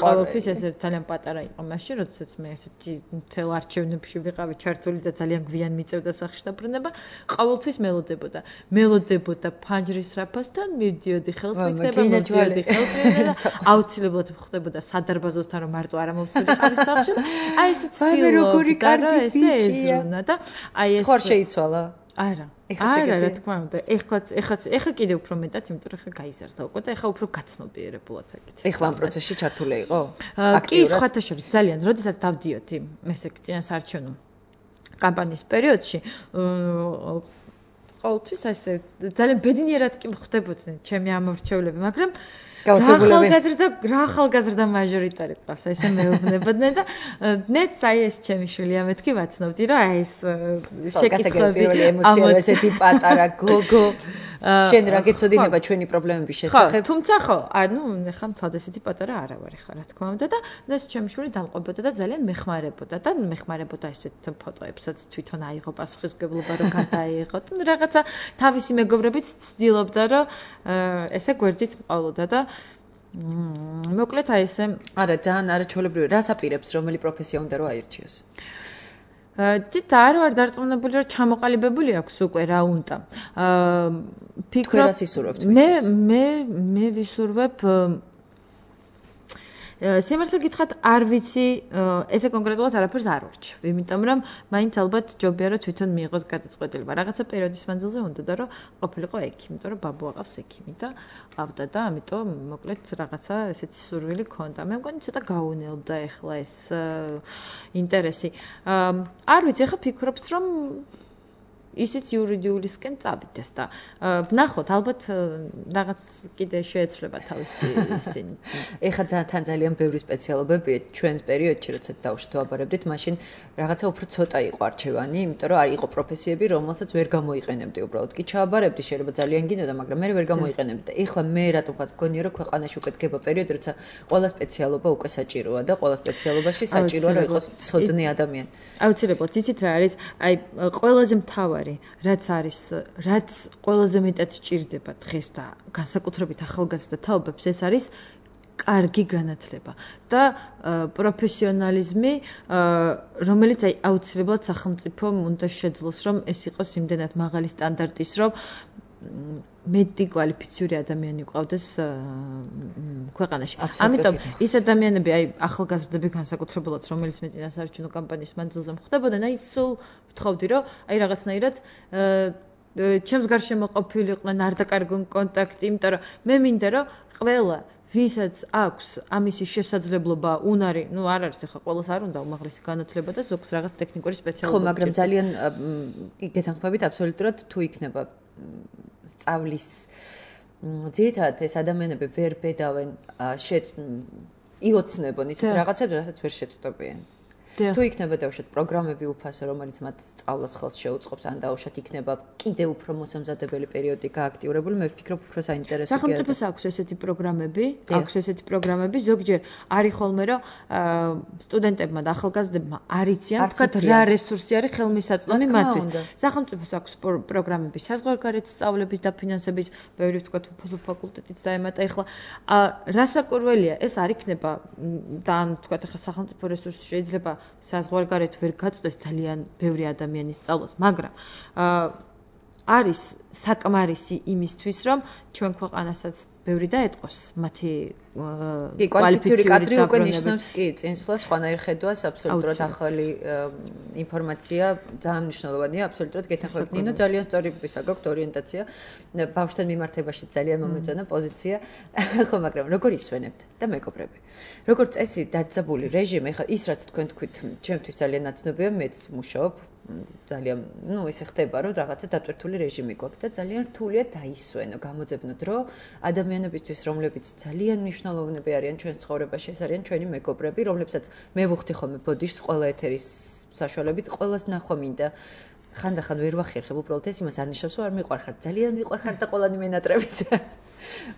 ყოველთვის ეს ძალიან პატარა იყო მაშინ, როდესაც მე ესეთი მთელ არჩევნებში ვიყავი ჩართული და ძალიან გვიან მიწევდა სახში დაბრუნება, ყოველთვის მელოდებოდა ფანჯრის რაფასთან, მივდიოდი ხელს მიგდება, მივდიოდი ხელს მიგდება და აუცილებლად ხდებოდა სადარბაზოსთან რომ მარტო არ ამოვსულიყავი სახში. აი ეს ცდილობდა და ესე ეზრუნა და აი ეს ხარ შეიცვალა? არა. არა, რა თქმა უნდა. ეხლა კიდე უფრო მეტად, იმიტომ რომ ეხლა გაიზარდა უკვე და ეხლა უფრო გაცნობიერებულად საკითხი. ეხლა ამ პროცესში ჩართული იყო? კი, სხვათა შორის ძალიან, როდესაც დავდიოდი ესე წინასაარჩევნო კამპანიის პერიოდში ყოველთვის ასე ძალიან ბედნიერად კი ხდებოდნენ ჩემი ამორჩევლები, მაგრამ ახალგაზრდა მაჟორიტარი ყავს, ესე მეუბნებოდნენ და ნეც აი ეს ჩემი შვილია მეთქი ვაცნობდი, რომ აი ეს შეკითხვები პირველი ემოცია ესეთი პატარა გოგო შენ რა გეცოდინება ჩვენი პრობლემების შესახებ? თუმცა ხო, ანუ ეხლა მთლად ესეთი პატარა არა ვარ ეხლა რა თქმა უნდა და ეს ჩემი შვილი დამყვებოდა და ძალიან მეხმარებოდა ესეთ ფოტოებსაც თვითონ აიღო პასუხისმგებლობა რომ გადაიღო და რაღაცა თავისი მეგობრებიც ცდილობდა რომ ესე გვერდით მყოლოდა და მოკლედ აი ესე არა ძალიან არაჩვეულებრივი რას აპირებს რომელი პროფესია უნდა რომ აირჩიოს? თითქოს არ ვარ დარწმუნებული რომ ჩამოყალიბებული აქვს უკვე რა უნდა. ფიქრობ რას ისურვებთ? მე ვისურვებ სიმართლე გითხრათ არ ვიცი ესე კონკრეტულად არაფერს არ ვარჩევ, იმიტომ რომ მაინც ალბათ ჯობია რომ თვითონ მიიღოს გადაწყვეტილება. რაღაცა პერიოდის მანძილზე უნდა და რომ ყოფილიყო ექიმი, იმიტომ რომ ბაბუ აყავს ექიმი და ყავდა და ამიტომ მოკლედ რაღაცა ესეთი სურვილი ქონდა. მე მგონი ცოტა გაუნელდა ეხლა ეს ინტერესი. არ ვიცი, ეხლა ფიქრობთ რომ ისიც იურიდიულისკენ წავიდეს და ვნახოთ, ალბათ რაღაც კიდე შეეცვლება თავისი ისინი. ეხლა თან ძალიან ბევრი სპეციალობებია ჩვენს პერიოდში, როცა დავუშვით ვაბარებდით, მაშინ რაღაცა უფრო ცოტა იყო არჩევანი, იმიტომ რომ არ იყო პროფესიები, რომელსაც ვერ გამოიყენებდი უბრალოდ. კი ჩააბარებდი, შეიძლება ძალიან გინდოდა, მაგრამ მე ვერ გამოიყენებდი და ეხლა მე რატომღაც მგონია, რომ ქვეყანაში უკვე დგება პერიოდი, როცა ყველა სპეციალობა უკვე საჭიროა და ყველა სპეციალობაში საჭიროა რომ იყოს ცოდნე ადამიანი. აუცილებლად, იცით რა არის? აი ყველაზე მთავარი რაც ყველაზე მეტად სჭირდება დღეს და განსაკუთრებით ახალგაზრდა თაობებს ეს არის კარგი განათლება და პროფესიონალიზმი, რომელიც აი აუცილებლად სახელმწიფომ უნდა შეძლოს, რომ ეს იყოს იმდენად მაღალი სტანდარტის, რომ მეტი კვალიფიციური ადამიანი ყავდეს ქვეყანაში. ამიტომ ის ადამიანები, აი ახალგაზრდები განსაკუთრებულად, რომელიც მე წინასაარჩევნო კამპანიის მანძილზე ხდებოდნენ, აი სულ ვთხოვდი, რომ აი რაღაცნაირად ჩემს გარშემო ყოფილიყვნენ, არ დაკარგონ კონტაქტი, იმიტომ რომ მე მინდა რომ ყველა ვისაც აქვს ამისი შესაძლებლობა, უნარი, ну არ არის ახლა ყოველს არ უნდა უმაღლესი განათლება და ზოგს რაღაც ტექნიკური სპეციალობა. ხო, მაგრამ ძალიან გეთანხმებით აბსოლუტურად თუ იქნება სწავლის ძირითადად ეს ადამიანები ვერ ბედავენ იოცნებონ ისეთ რაღაცებს, რასაც ვერ შეწყვეტებიან. თუ იქნება დავუშვათ პროგრამები უფასო, რომელიც მათ სწავლას ხელს შეუწყობს, ან დავუშვათ იქნება კიდევ უფრო მოსამზადებელი პერიოდი გააქტიურებული, მე ვფიქრობ უფრო საინტერესო. სახელმწიფოს აქვს ესეთი პროგრამები, ზოგჯერ არის ხოლმე რომ სტუდენტებმა და ახალგაზრდებმა არ იციან, თქვათ რა რესურსი არის ხელმისაწვდომი მათთვის. სახელმწიფოს აქვს პროგრამები საზღვარგარეთ სწავლების დაფინანსების, ბევრი თქვათ უფასო ფაკულტეტიც დაემატა. ეხლა რასაკურველია, ეს არ იქნება და ან თქვათ ეხლა სახელმწიფო რესურსი შეიძლება საზღვარგარეთ ვერ გაწვდეს ძალიან ბევრი ადამიანის სწავლას, მაგრამ არის საკმარისი იმისთვის, რომ ჩვენ ქვეყანასაც ბევრი დაეტყოს მათი კვალიფიციური კადრი უკვე ნიშნავს კი წინსვლას, სხვანაირ ხედვას, აბსოლუტურად ახალი ინფორმაცია, ძალიან მნიშვნელოვანია, აბსოლუტურად გეთანხმებით. ნინო, ძალიან სწორი გაგქვთ ორიენტაცია, ბავშვთან მიმართებაში ძალიან მომეწონა პოზიცია, ხო, მაგრამ როგორ ისვენებთ და მეგობრები? როგორ წესი დაძაბული რეჟიმი, ხა ის რაც თქვენ თქვით, ჩემთვის ძალიან ნაცნობია, მეც მუშაობ ძალიან, ესე ხდება, რომ რაღაცა დატვირთული რეჟიმი გვაქვს და ძალიან რთულია დაისვენო, გამოძებნო დრო ადამიანებისთვის, რომლებიც ძალიან მნიშვნელოვნები არიან ჩვენ ცხოვრებაში, ეს არიან ჩვენი მეგობრები, რომლებსაც მე ვუხდი ხოლმე ბოდიშს ყველა ეთერის საშუალებით, ყველას ნახვა მინდა. ხანდახან ვერ ვახერხებ უბრალოდ ეს იმას არ ნიშნავს რომ არ მიყვარხარ ძალიან მიყვარხარ და ყველანი მენატრებით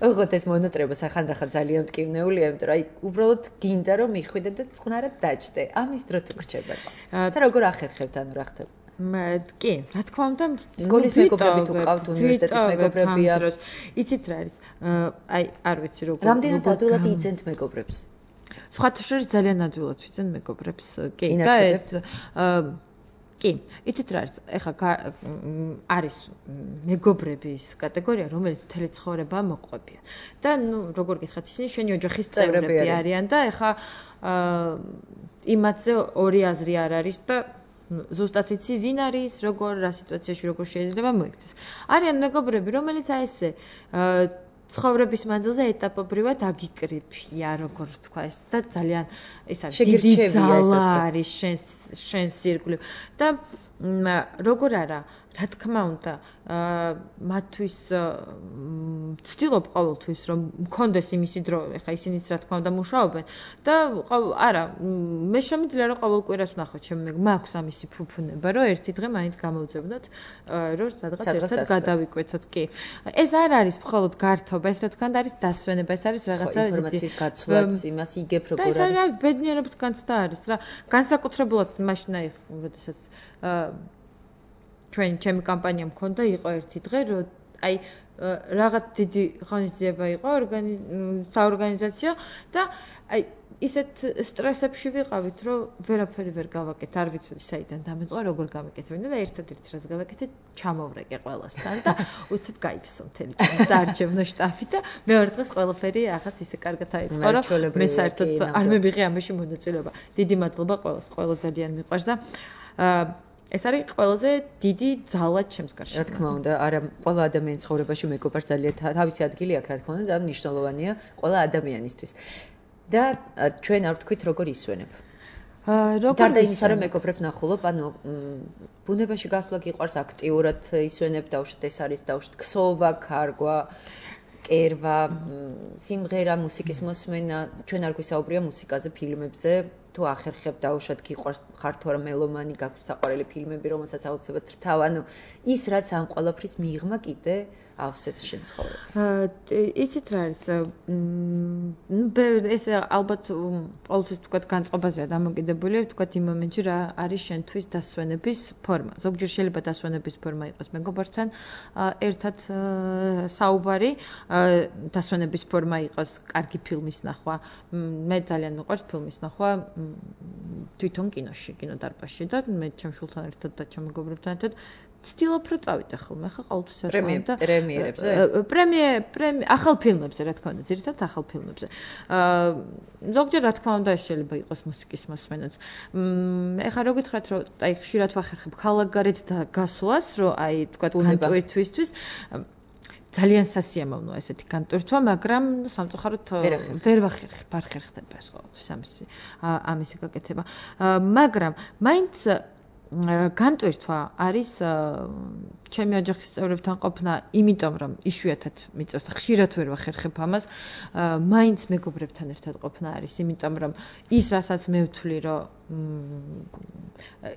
ოღონდ ეს მონატრება ხანდახან ძალიან მტკივნეულია იმიტომ რომ აი უბრალოდ გინდა რომ მიხვიდე და წყნარად დაჭდე ამის დრო თუ გრჩება და როგორ ახერხებთ ანუ რა ხდება კი, რა თქმა უნდა, სკოლის მეგობრები თუ ყავთ უნივერსიტეტის მეგობრებია. იცით რა არის? აი, არ ვიცი როგორ. რამდენად ადვილად იძენთ მეგობრებს? სხვათა შორის ძალიან ადვილად ვიძენ მეგობრებს. კი, და ეს კი, იცით რა არის? ეხლა არის მეგობრების კატეგორია, რომელიც მთელი ცხოვრება მოყვებიან. და ნუ როგორ გითხრათ, ისინი შენი ოჯახის წევრები არიან და ეხლა იმათზე ორი აზრი არ არის და ზუსტად იცი ვინ არის, როგორ რა სიტუაციაში როგორ შეიძლება მოიქცეს. არიან მეგობრები, რომელიც აი ესე ცხოვრების მანძილზე ეტაპობრივად აგიკრიფია, როგორ თქვა ეს და ძალიან ეს არის დიდი ძალა არის შენს ირგვლივ და როგორ არა რა თქმა უნდა მათთვის ცდილობ ყოველთვის რომ მქონდეს იმისი დრო ეხა ისინიც რა თქმა უნდა მუშაობენ და არა მე შემიძლია რომ ყოველ კვირას ვნახო ჩემი მაქვს ამისი ფუფუნება რომ ერთი დღე მაინც გამოვძებნოთ რომ სადღაც ერთად გადავიკვეთოთ კი ეს არ არის მხოლოდ გართობა ეს რა თქმა უნდა არის დასვენება ეს არის რაღაცა ინფორმაციის გაცვლაც იმას იგებ როგორ არის და ეს არის ბედნიერების განცდა არის რა განსაკუთრებულად მაშინ აი როდესაც ჩემი კამპანია მქონდა იყო ერთი დღე რომ აი რაღაც დიდი ღონისძიება იყო საორგანიზაციო და აი ისეთ სტრესებში ვიყავით რომ ვერაფერი ვერ გავაკეთ არ ვიცოდი საიდან დამეწყო როგორ გავაკეთებინა და ერთადერთი რაც გავაკეთე ჩამოვრეკე ყველასთან და უცებ გაიფსო მთელი წარჩევნო შტაფი და მეორე დღეს ყველაფერი ახაც ისე კარგად აიწყო რომ მე საერთოდ არ მივიღე ამაში მონაწილეობა დიდი მადლობა ყველას ყველა ძალიან მიყვარს და ეს არის ყველაზე დიდი ძალა ჩემს გარშემო. რა თქმა უნდა, არა ყველა ადამიანის ცხოვრებაში მეგობრს ძალიან თავისი ადგილი აქვს, რა თქმა უნდა, და მნიშვნელოვანია ყველა ადამიანისთვის. და ჩვენ არ ვთქვით როგორ ისვენებ. გარდა იმისა, რომ მეგობრებს ნახულობ, ანუ ბუნებაში გასვლა გიყვარს აქტიურად ისვენებ, დაუშვათ ეს არის დაუშვათ ქსოვა, ქარგვა, კერვა, სიმღერა, მუსიკის მოსმენა, ჩვენ არ გვისაუბრია მუსიკაზე, ფილმებზე. თუ ახერხებ დაუშვათ გიყვარს ხარ თუ არა მელომანი გაქვს საყვარელი ფილმები რომელსაც აუცილებლად რთავ ანუ ის რაც ამ ყველაფრის მიღმა კიდე ავსებს შენ ცხოვრებას იცით რა არის ეს ალბათ ყოველთვის თქვათ განწყობაზეა დამოკიდებული თქვათ იმ მომენტში რა არის შენთვის დასვენების ფორმა ზოგჯერ შეიძლება დასვენების ფორმა იყოს მეგობრთან ერთად საუბარი დასვენების ფორმა იყოს კარგი ფილმის ნახვა მე ძალიან მიყვარს ფილმის ნახვა თვითონ კინოდარბაზში და მე ჩემ შულთან ერთად და ჩემ მეგობრებთან ერთად ცდილობ რომ წავიდე ხოლმე ხა ყოველთვის არ ხომ და პრემიერებზე ახალ ფილმებზე რა თქმა უნდა ძირითადად ახალ ფილმებზე ზოგჯერ რა თქმა უნდა შეიძლება იყოს მუსიკის მოსმენაც ეხა რო გითხრათ რომ აი ხშირად ვახერხებ ქალაქგარეთ და გასვლას რომ აი თქვა განტვირთვისთვის ძალიან სასიამოვნოა ესეთი განტვირთვა, მაგრამ სამწუხაროდ ვერ ვახერხებ ეს ყოველთვის ამისი გაკეთება. მაგრამ მაინც განტვირთვა არის ჩემი ოჯახის წევრებთან ყოფნა, იმიტომ რომ იშვიათად მიწევს და ხშირად ვერ ვახერხებ ამას, მაინც მეგობრებთან ერთად ყოფნა არის, იმიტომ რომ ის რასაც მე ვთვლი, რომ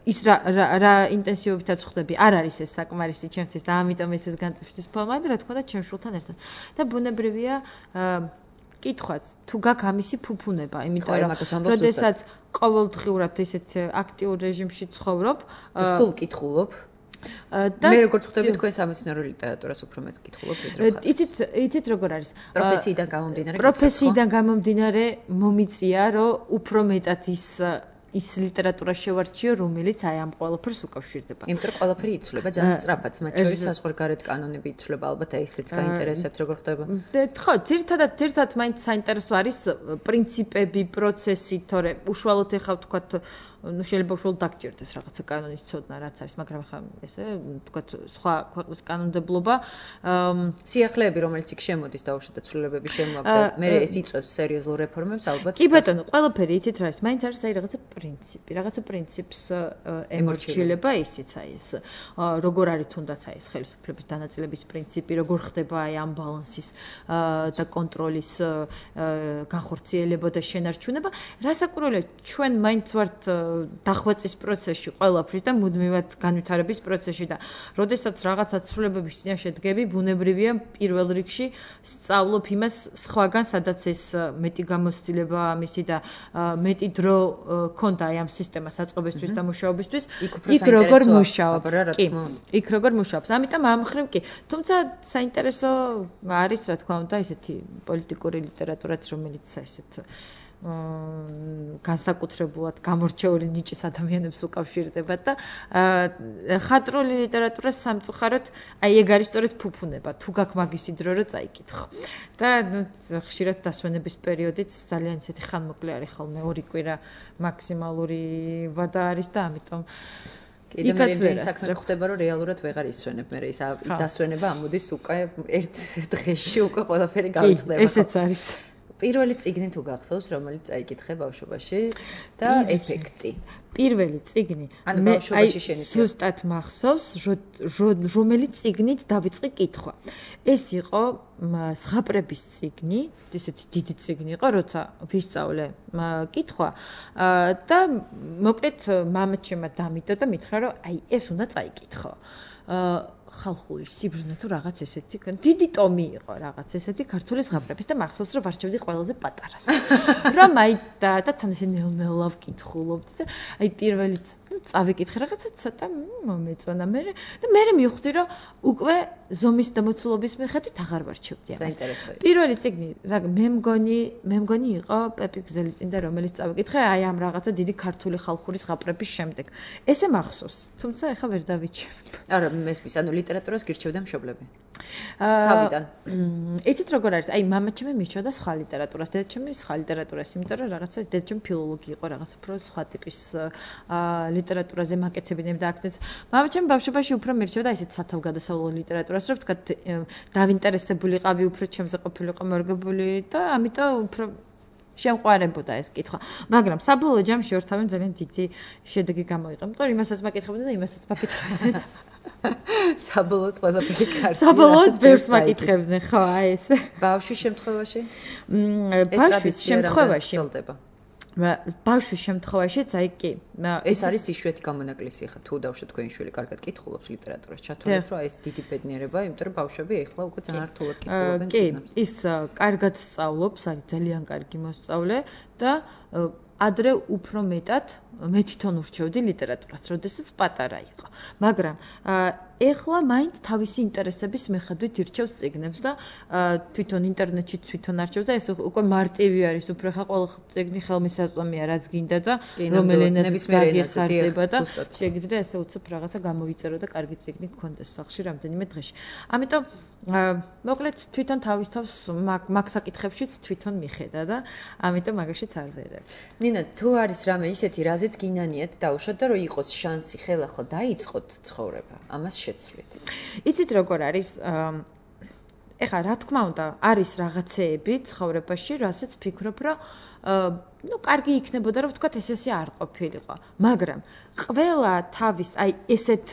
ის რა ინტენსივობითაც ხვდები, არ არის ეს საკმარისი ჩემთვის და ამიტომ ეს განტვირთვის ფორმა და რა თქმა უნდა ჩემ შულთან ერთად. და ბუნებრივია კითხვაც თუ გაქვს ამისი ფუფუნება, იმიტომ რომ როდესაც ყოველდღიურად ისეთ აქტიურ რეჟიმში ცხოვრობ, სულ კითხულობ და მე როგორც ხვდები თქვენ სამეცნიერო ლიტერატურას უფრო მეტ კითხულობ ვიდრე ხარ. იცით როგორ არის? პროფესიიდან გამომდინარე მომიწია, რომ უფრო მეტად ის ლიტერატურა შევარჩიო, რომელიც აი ამ ყველაფერს უკავშირდება. იმიტომ რომ ყველაფერი იცვლება ძალიან სწრაფად, მათ შორის საზღვარგარეთ კანონები იცვლება, ალბათ აი ესეც გაინტერესებთ როგორ ხდება. ხო, ძირითადად მაინც საინტერესო არის პრინციპები, პროცესი, თორე უშუალოდ ეხავ თქვათ ну შეიძლება უშუალოდ დაგჭირდეს რაღაცა კანონის ცოდნა რაც არის, მაგრამ ხა ესე თქვათ სხვა ქვეყნის კანონმდებლობა სიახლეები რომელიც იქ შემოდის დაუშვათ ცვლილებები შემოაგდა მე ეს იწვევს სერიოზულ რეფორმებს ალბათ კი ბატონო ყველაფერი იცით რა ის მაინც არის აი რაღაცა პრინციპს ემორჩილება ისიც აი ეს როგორ არის თუნდაც აი ეს ხელისუფლების დანაწილების პრინციპი როგორ ხდება აი ამ ბალანსის და კონტროლის განხორციელება და შენარჩუნება რასაკურველია ჩვენ მაინც ვართ დახვეწის პროცესში ყველაფრის და მუდმივად განვითარების პროცესში და როდესაც რაღაცა ცვლილებების წინაშე დგები, ბუნებრივია პირველ რიგში სწავლობ იმას სხვაგან, სადაც ეს მეტი გამოცდილება ამისი და მეტი დრო ქონდა ამ სისტემას აწყობისთვის და მუშაობისთვის, იქ როგორ მუშაობს, კი, იქ როგორ მუშაობს. ამიტომ ამ მხრივ კი, თუმცა საინტერესო არის, რა თქმა უნდა, ესეთი პოლიტიკური ლიტერატურაც, რომელიც ესეთ განსაკუთრებულად გამორჩეული ნიჭის ადამიანებს უკავშირდება და ხატრული ლიტერატურა სამწუხაროდ აი ეგ არის სწორედ ფუფუნება თუ გაქვს მაგისი დრო რომ წაიკითხო და ხშირად დასვენების პერიოდიც ძალიან ისეთი ხანმოკლე არის ხოლმე 2 კვირა მაქსიმალური ვადა არის და ამიტომ იქაც ვერ საქმე ხდება რომ რეალურად ვეღარ ისვენებ მე ის დასვენება ამოდის უკვე ერთ დღეში უკვე ყველაფერი გავიწყდება ესეც არის პირველი წიგნი თუ გახსოვს, რომელიც წაიკითხე ბავშვობაში და ეფექტი. პირველი წიგნი მე ზუსტად მახსოვს, რომელიც წიგნით დავიწყე კითხვა. ეს იყო ზღაპრების წიგნი, ისეთი დიდი წიგნი იყო, როცა ვისწავლე კითხვა და მოკლედ მამაჩემმა დამიდო და მითხრა, რომ აი ეს უნდა წაიკითხო. ხალხური სიბრძნე თუ რაღაც ესეთი დიდი ტომი იყო რაღაც ესეთი ქართული ზღაპრების და მახსოვს რომ ვარჩევდი ყველაზე პატარას რომ აი და თან ესე ნელ-ნელა ვკითხულობთ და აი პირველი წავიკითხე რაღაცა ცოტა მომეწონა მე და მე მივხვდი რომ უკვე ზომის დამოცულობის მიხედვით აღარ ვარჩევდი ამას საინტერესოა პირველი წიგნი მე მგონი იყო პეპი გზელიწინდა რომელიც წავიკითხე აი ამ რაღაცა დიდი ქართული ხალხური ზღაპრების შემდეგ ესე მახსოვს თუმცა ეხა ვერ დავიჩვენებ არა მესმის ანუ ლიტერატურას გირჩევდა მშობლები თავიდან იცით როგორ არის აი მამაჩემი მიჩვენდა სხვა ლიტერატურას დედაჩემი სხვა ლიტერატურას იმიტომ რომ რაღაცა ეს დედაჩემი ფილოლოგი იყო რაღაც უფრო სხვა ტიპის ლიტერატურაზე მაკეთებინებდა აქცენტს მამაჩემი ბავშვობაში უფრო მირჩევდა ისეთ სათავგადასავლო ლიტერატურას რომ თქვა დავინტერესებულიყავი უფრო ჩემზე ყოფილიყო მორგებული და ამიტომ უფრო შემყვარებოდა ეს კითხვა მაგრამ საბოლოო ჯამში ორთავემ ძალიან დიდი შედეგი გამოიღო იმიტომ რომ იმასაც მაკითხებოდა და იმასაც მაკითხებდა საბოლოოდ ყველაფერი კარგია. საბოლოოდ ბევრს მაკითხებდნენ, ხო, აი ეს. ბავშვის შემთხვევაში? ბავშვის შემთხვევაში. ბავშვის შემთხვევაშიც აი კი. ეს არის იშვიათი გამონაკლისი ხა თუ დავშოთ თქვენი შვილი კარგად კითხულობს ლიტერატურას. ჩათვალეთ რომ ეს დიდი ბედნიერება, იმიტომ რომ ბავშვები ეხლა უკვე ძალიან რთულად კითხულობენ წიგნებს. კი, ის კარგად სწავლობს, არის ძალიან კარგი მოსწავლე და ადრე უფრო მეტად მე თვითონ ურჩევდი ლიტერატურას, როდესაც პატარა იყო. მაგრამ ეხლა მაინც თავისი ინტერესების მიხედვით ირჩევს წიგნებს და თვითონ ინტერნეტში თვითონ არჩევს და ეს უკვე მარტივი არის, უფრო ხა ყველა წიგნი ხელმისაწვდომია, რაც გინდა და რომელ ენაზეც გაგიხარდება და შეგიძლია ესე უცებ რაღაცა გამოიწერო და კარგი წიგნი გქონდეს სახში რამდენიმე დღეში. ამიტომ მოკლედ თვითონ თავის თავს მაგ საკითხებშიც თვითონ მიხედა და ამიტომ მაგაშიც არ ვერებ. ნინა, თუ არის რამე ისეთი, რაზეც გინანიათ დაუშვათ და რომ იყოს შანსი ხელახლა დაიწყოთ ცხოვრება, ამას შეცვლით. იცით როგორ არის? ეხლა რა თქმა უნდა, არის რაღაცეები ცხოვრებაში, რასაც ფიქრობ, რომ ну, კარგი იქნებოდა, რომ ვთქვათ, ესე არ ყოფილიყო. მაგრამ ყველა თავის, აი, ესეთ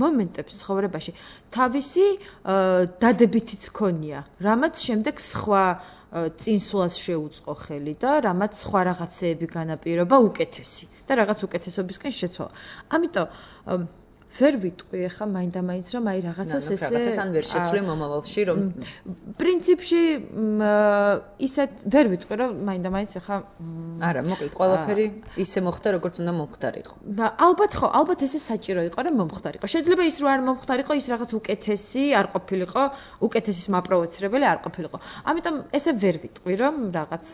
მომენტებს ცხოვრებაში თავისი დადებითიც ქონია, რამაც შემდეგ სხვა წინსვლას შეუწყო ხელი და რამაც სხვა რაღაცეები განაპირობა უკეთესი და რაღაც უკეთესობისკენ შეცვალა. ამიტომ ვერ ვიტყვი ახლა მაინდა-მაინც რომ აი რაღაცას ესე რაღაცას ან ვერ შეცვლი მომავალში რომ პრინციპში ისეთ ვერ ვიტყვი რომ მაინდა-მაინც ახლა არა მოკლედ ყველაფერი ისე მოხდა როგორც უნდა მომხდარიყო და ალბათ ხო ალბათ ესე საჭირო იყო რომ მომხდარიყო შეიძლება ის რო არ მომხდარიყო ის რაღაც უკეთესი არ ყოფილიყო უკეთესის მაპროვოცირებელი არ ყოფილიყო ამიტომ ესე ვერ ვიტყვი რომ რაღაც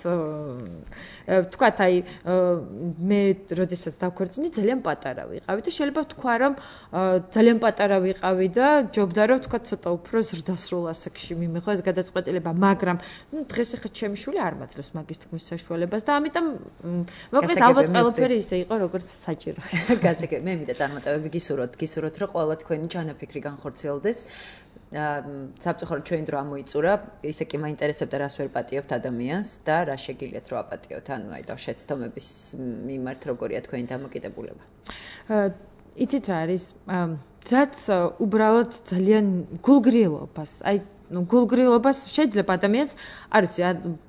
თქვათ აი მე როდესაც დავქორწინდი ძალიან პატარა ვიყავი და შეიძლება თქვა რომ ძალიან პატარა ვიყავი და ჯობდა რომ თქვა ცოტა უფრო ზრდასრულ ასაკში მიმიღო ეს გადაწყვეტილება, მაგრამ დღეს ახლა ჩემი შვილი არ მაძლევს მაგის თქმის საშუალებას და ამიტომ მოკლედ ალბათ ყველაფერი ისე იყო როგორც საჭირო. გასაგები, მე მინდა წარმატებები გისურვოთ, რომ ყველა თქვენი ჩანაფიქრი განხორციელდეს. საბჭოხო ჩვენ დრო ამოიწურა, ისე კი მაინტერესებდა რას ვერ პატიობთ ადამიანს და რა შეგიძლიათ რომ აპატიოთ, ანუ აი და შეცდომების მიმართ როგორია თქვენი დამოკიდებულება. იცით რა არის რაც უბრალოდ ძალიან გულგრილობას აი გულგრილობას შეიძლება ადამიანს, არ ვიცი,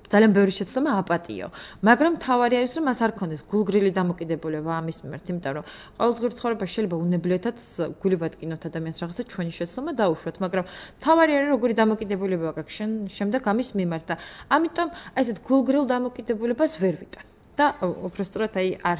ძალიან ბევრი შეცდომა აპატიო. მაგრამ თავარი არის, რომ მას არ ქონდეს გულგრილი დამოკიდებულება ამის მიმართ, იმიტომ რომ ყოველდღიურ ცხოვრებაში შეიძლება უნებლიეთაც გული ვატკინოთ ადამიანს რაღაცა ჩვენი შეცდომა დაუშვათ, მაგრამ თავარი არის როგორი დამოკიდებულება გაქვს შემდეგ ამის მიმართ და ამიტომ აი ესეთ გულგრილ დამოკიდებულებას ვერ ვიტან. და უბრალოდ აი არ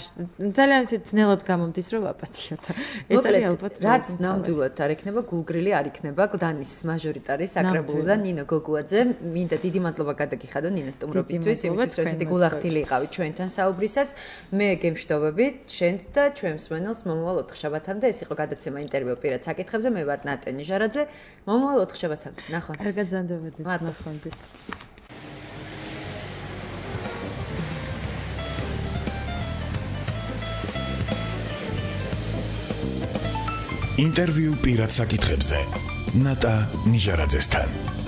ძალიან ისე ძნელად გამომდის რომ აპატიო და ეს არის ალბათ რაც ნამდვილად არ იქნება გულგრილი არ იქნება გლდანის მაჟორიტარი საკრებულიდან ნინო გოგუაძე მინდა დიდი მადლობა გადაგიხადო ნინო სტუმრობისთვის იმისთვის რომ ესეთი გულახდილი იყავით ჩვენთან საუბრისას მე გემშვიდობებით შენც და ჩვენს მსმენელს მომავალ 4 შაბათამდე ეს იყო გადაცემა ინტერვიუ პირად საკითხებზე მე ვარ ნატა ნიჟარაძე მომავალ 4 შაბათამდე ნახვამდის კარგად ზანდებოდით ნახვამდის ინტერვიუ პირად საკითხებზე ნატა ნიჟარაძესთან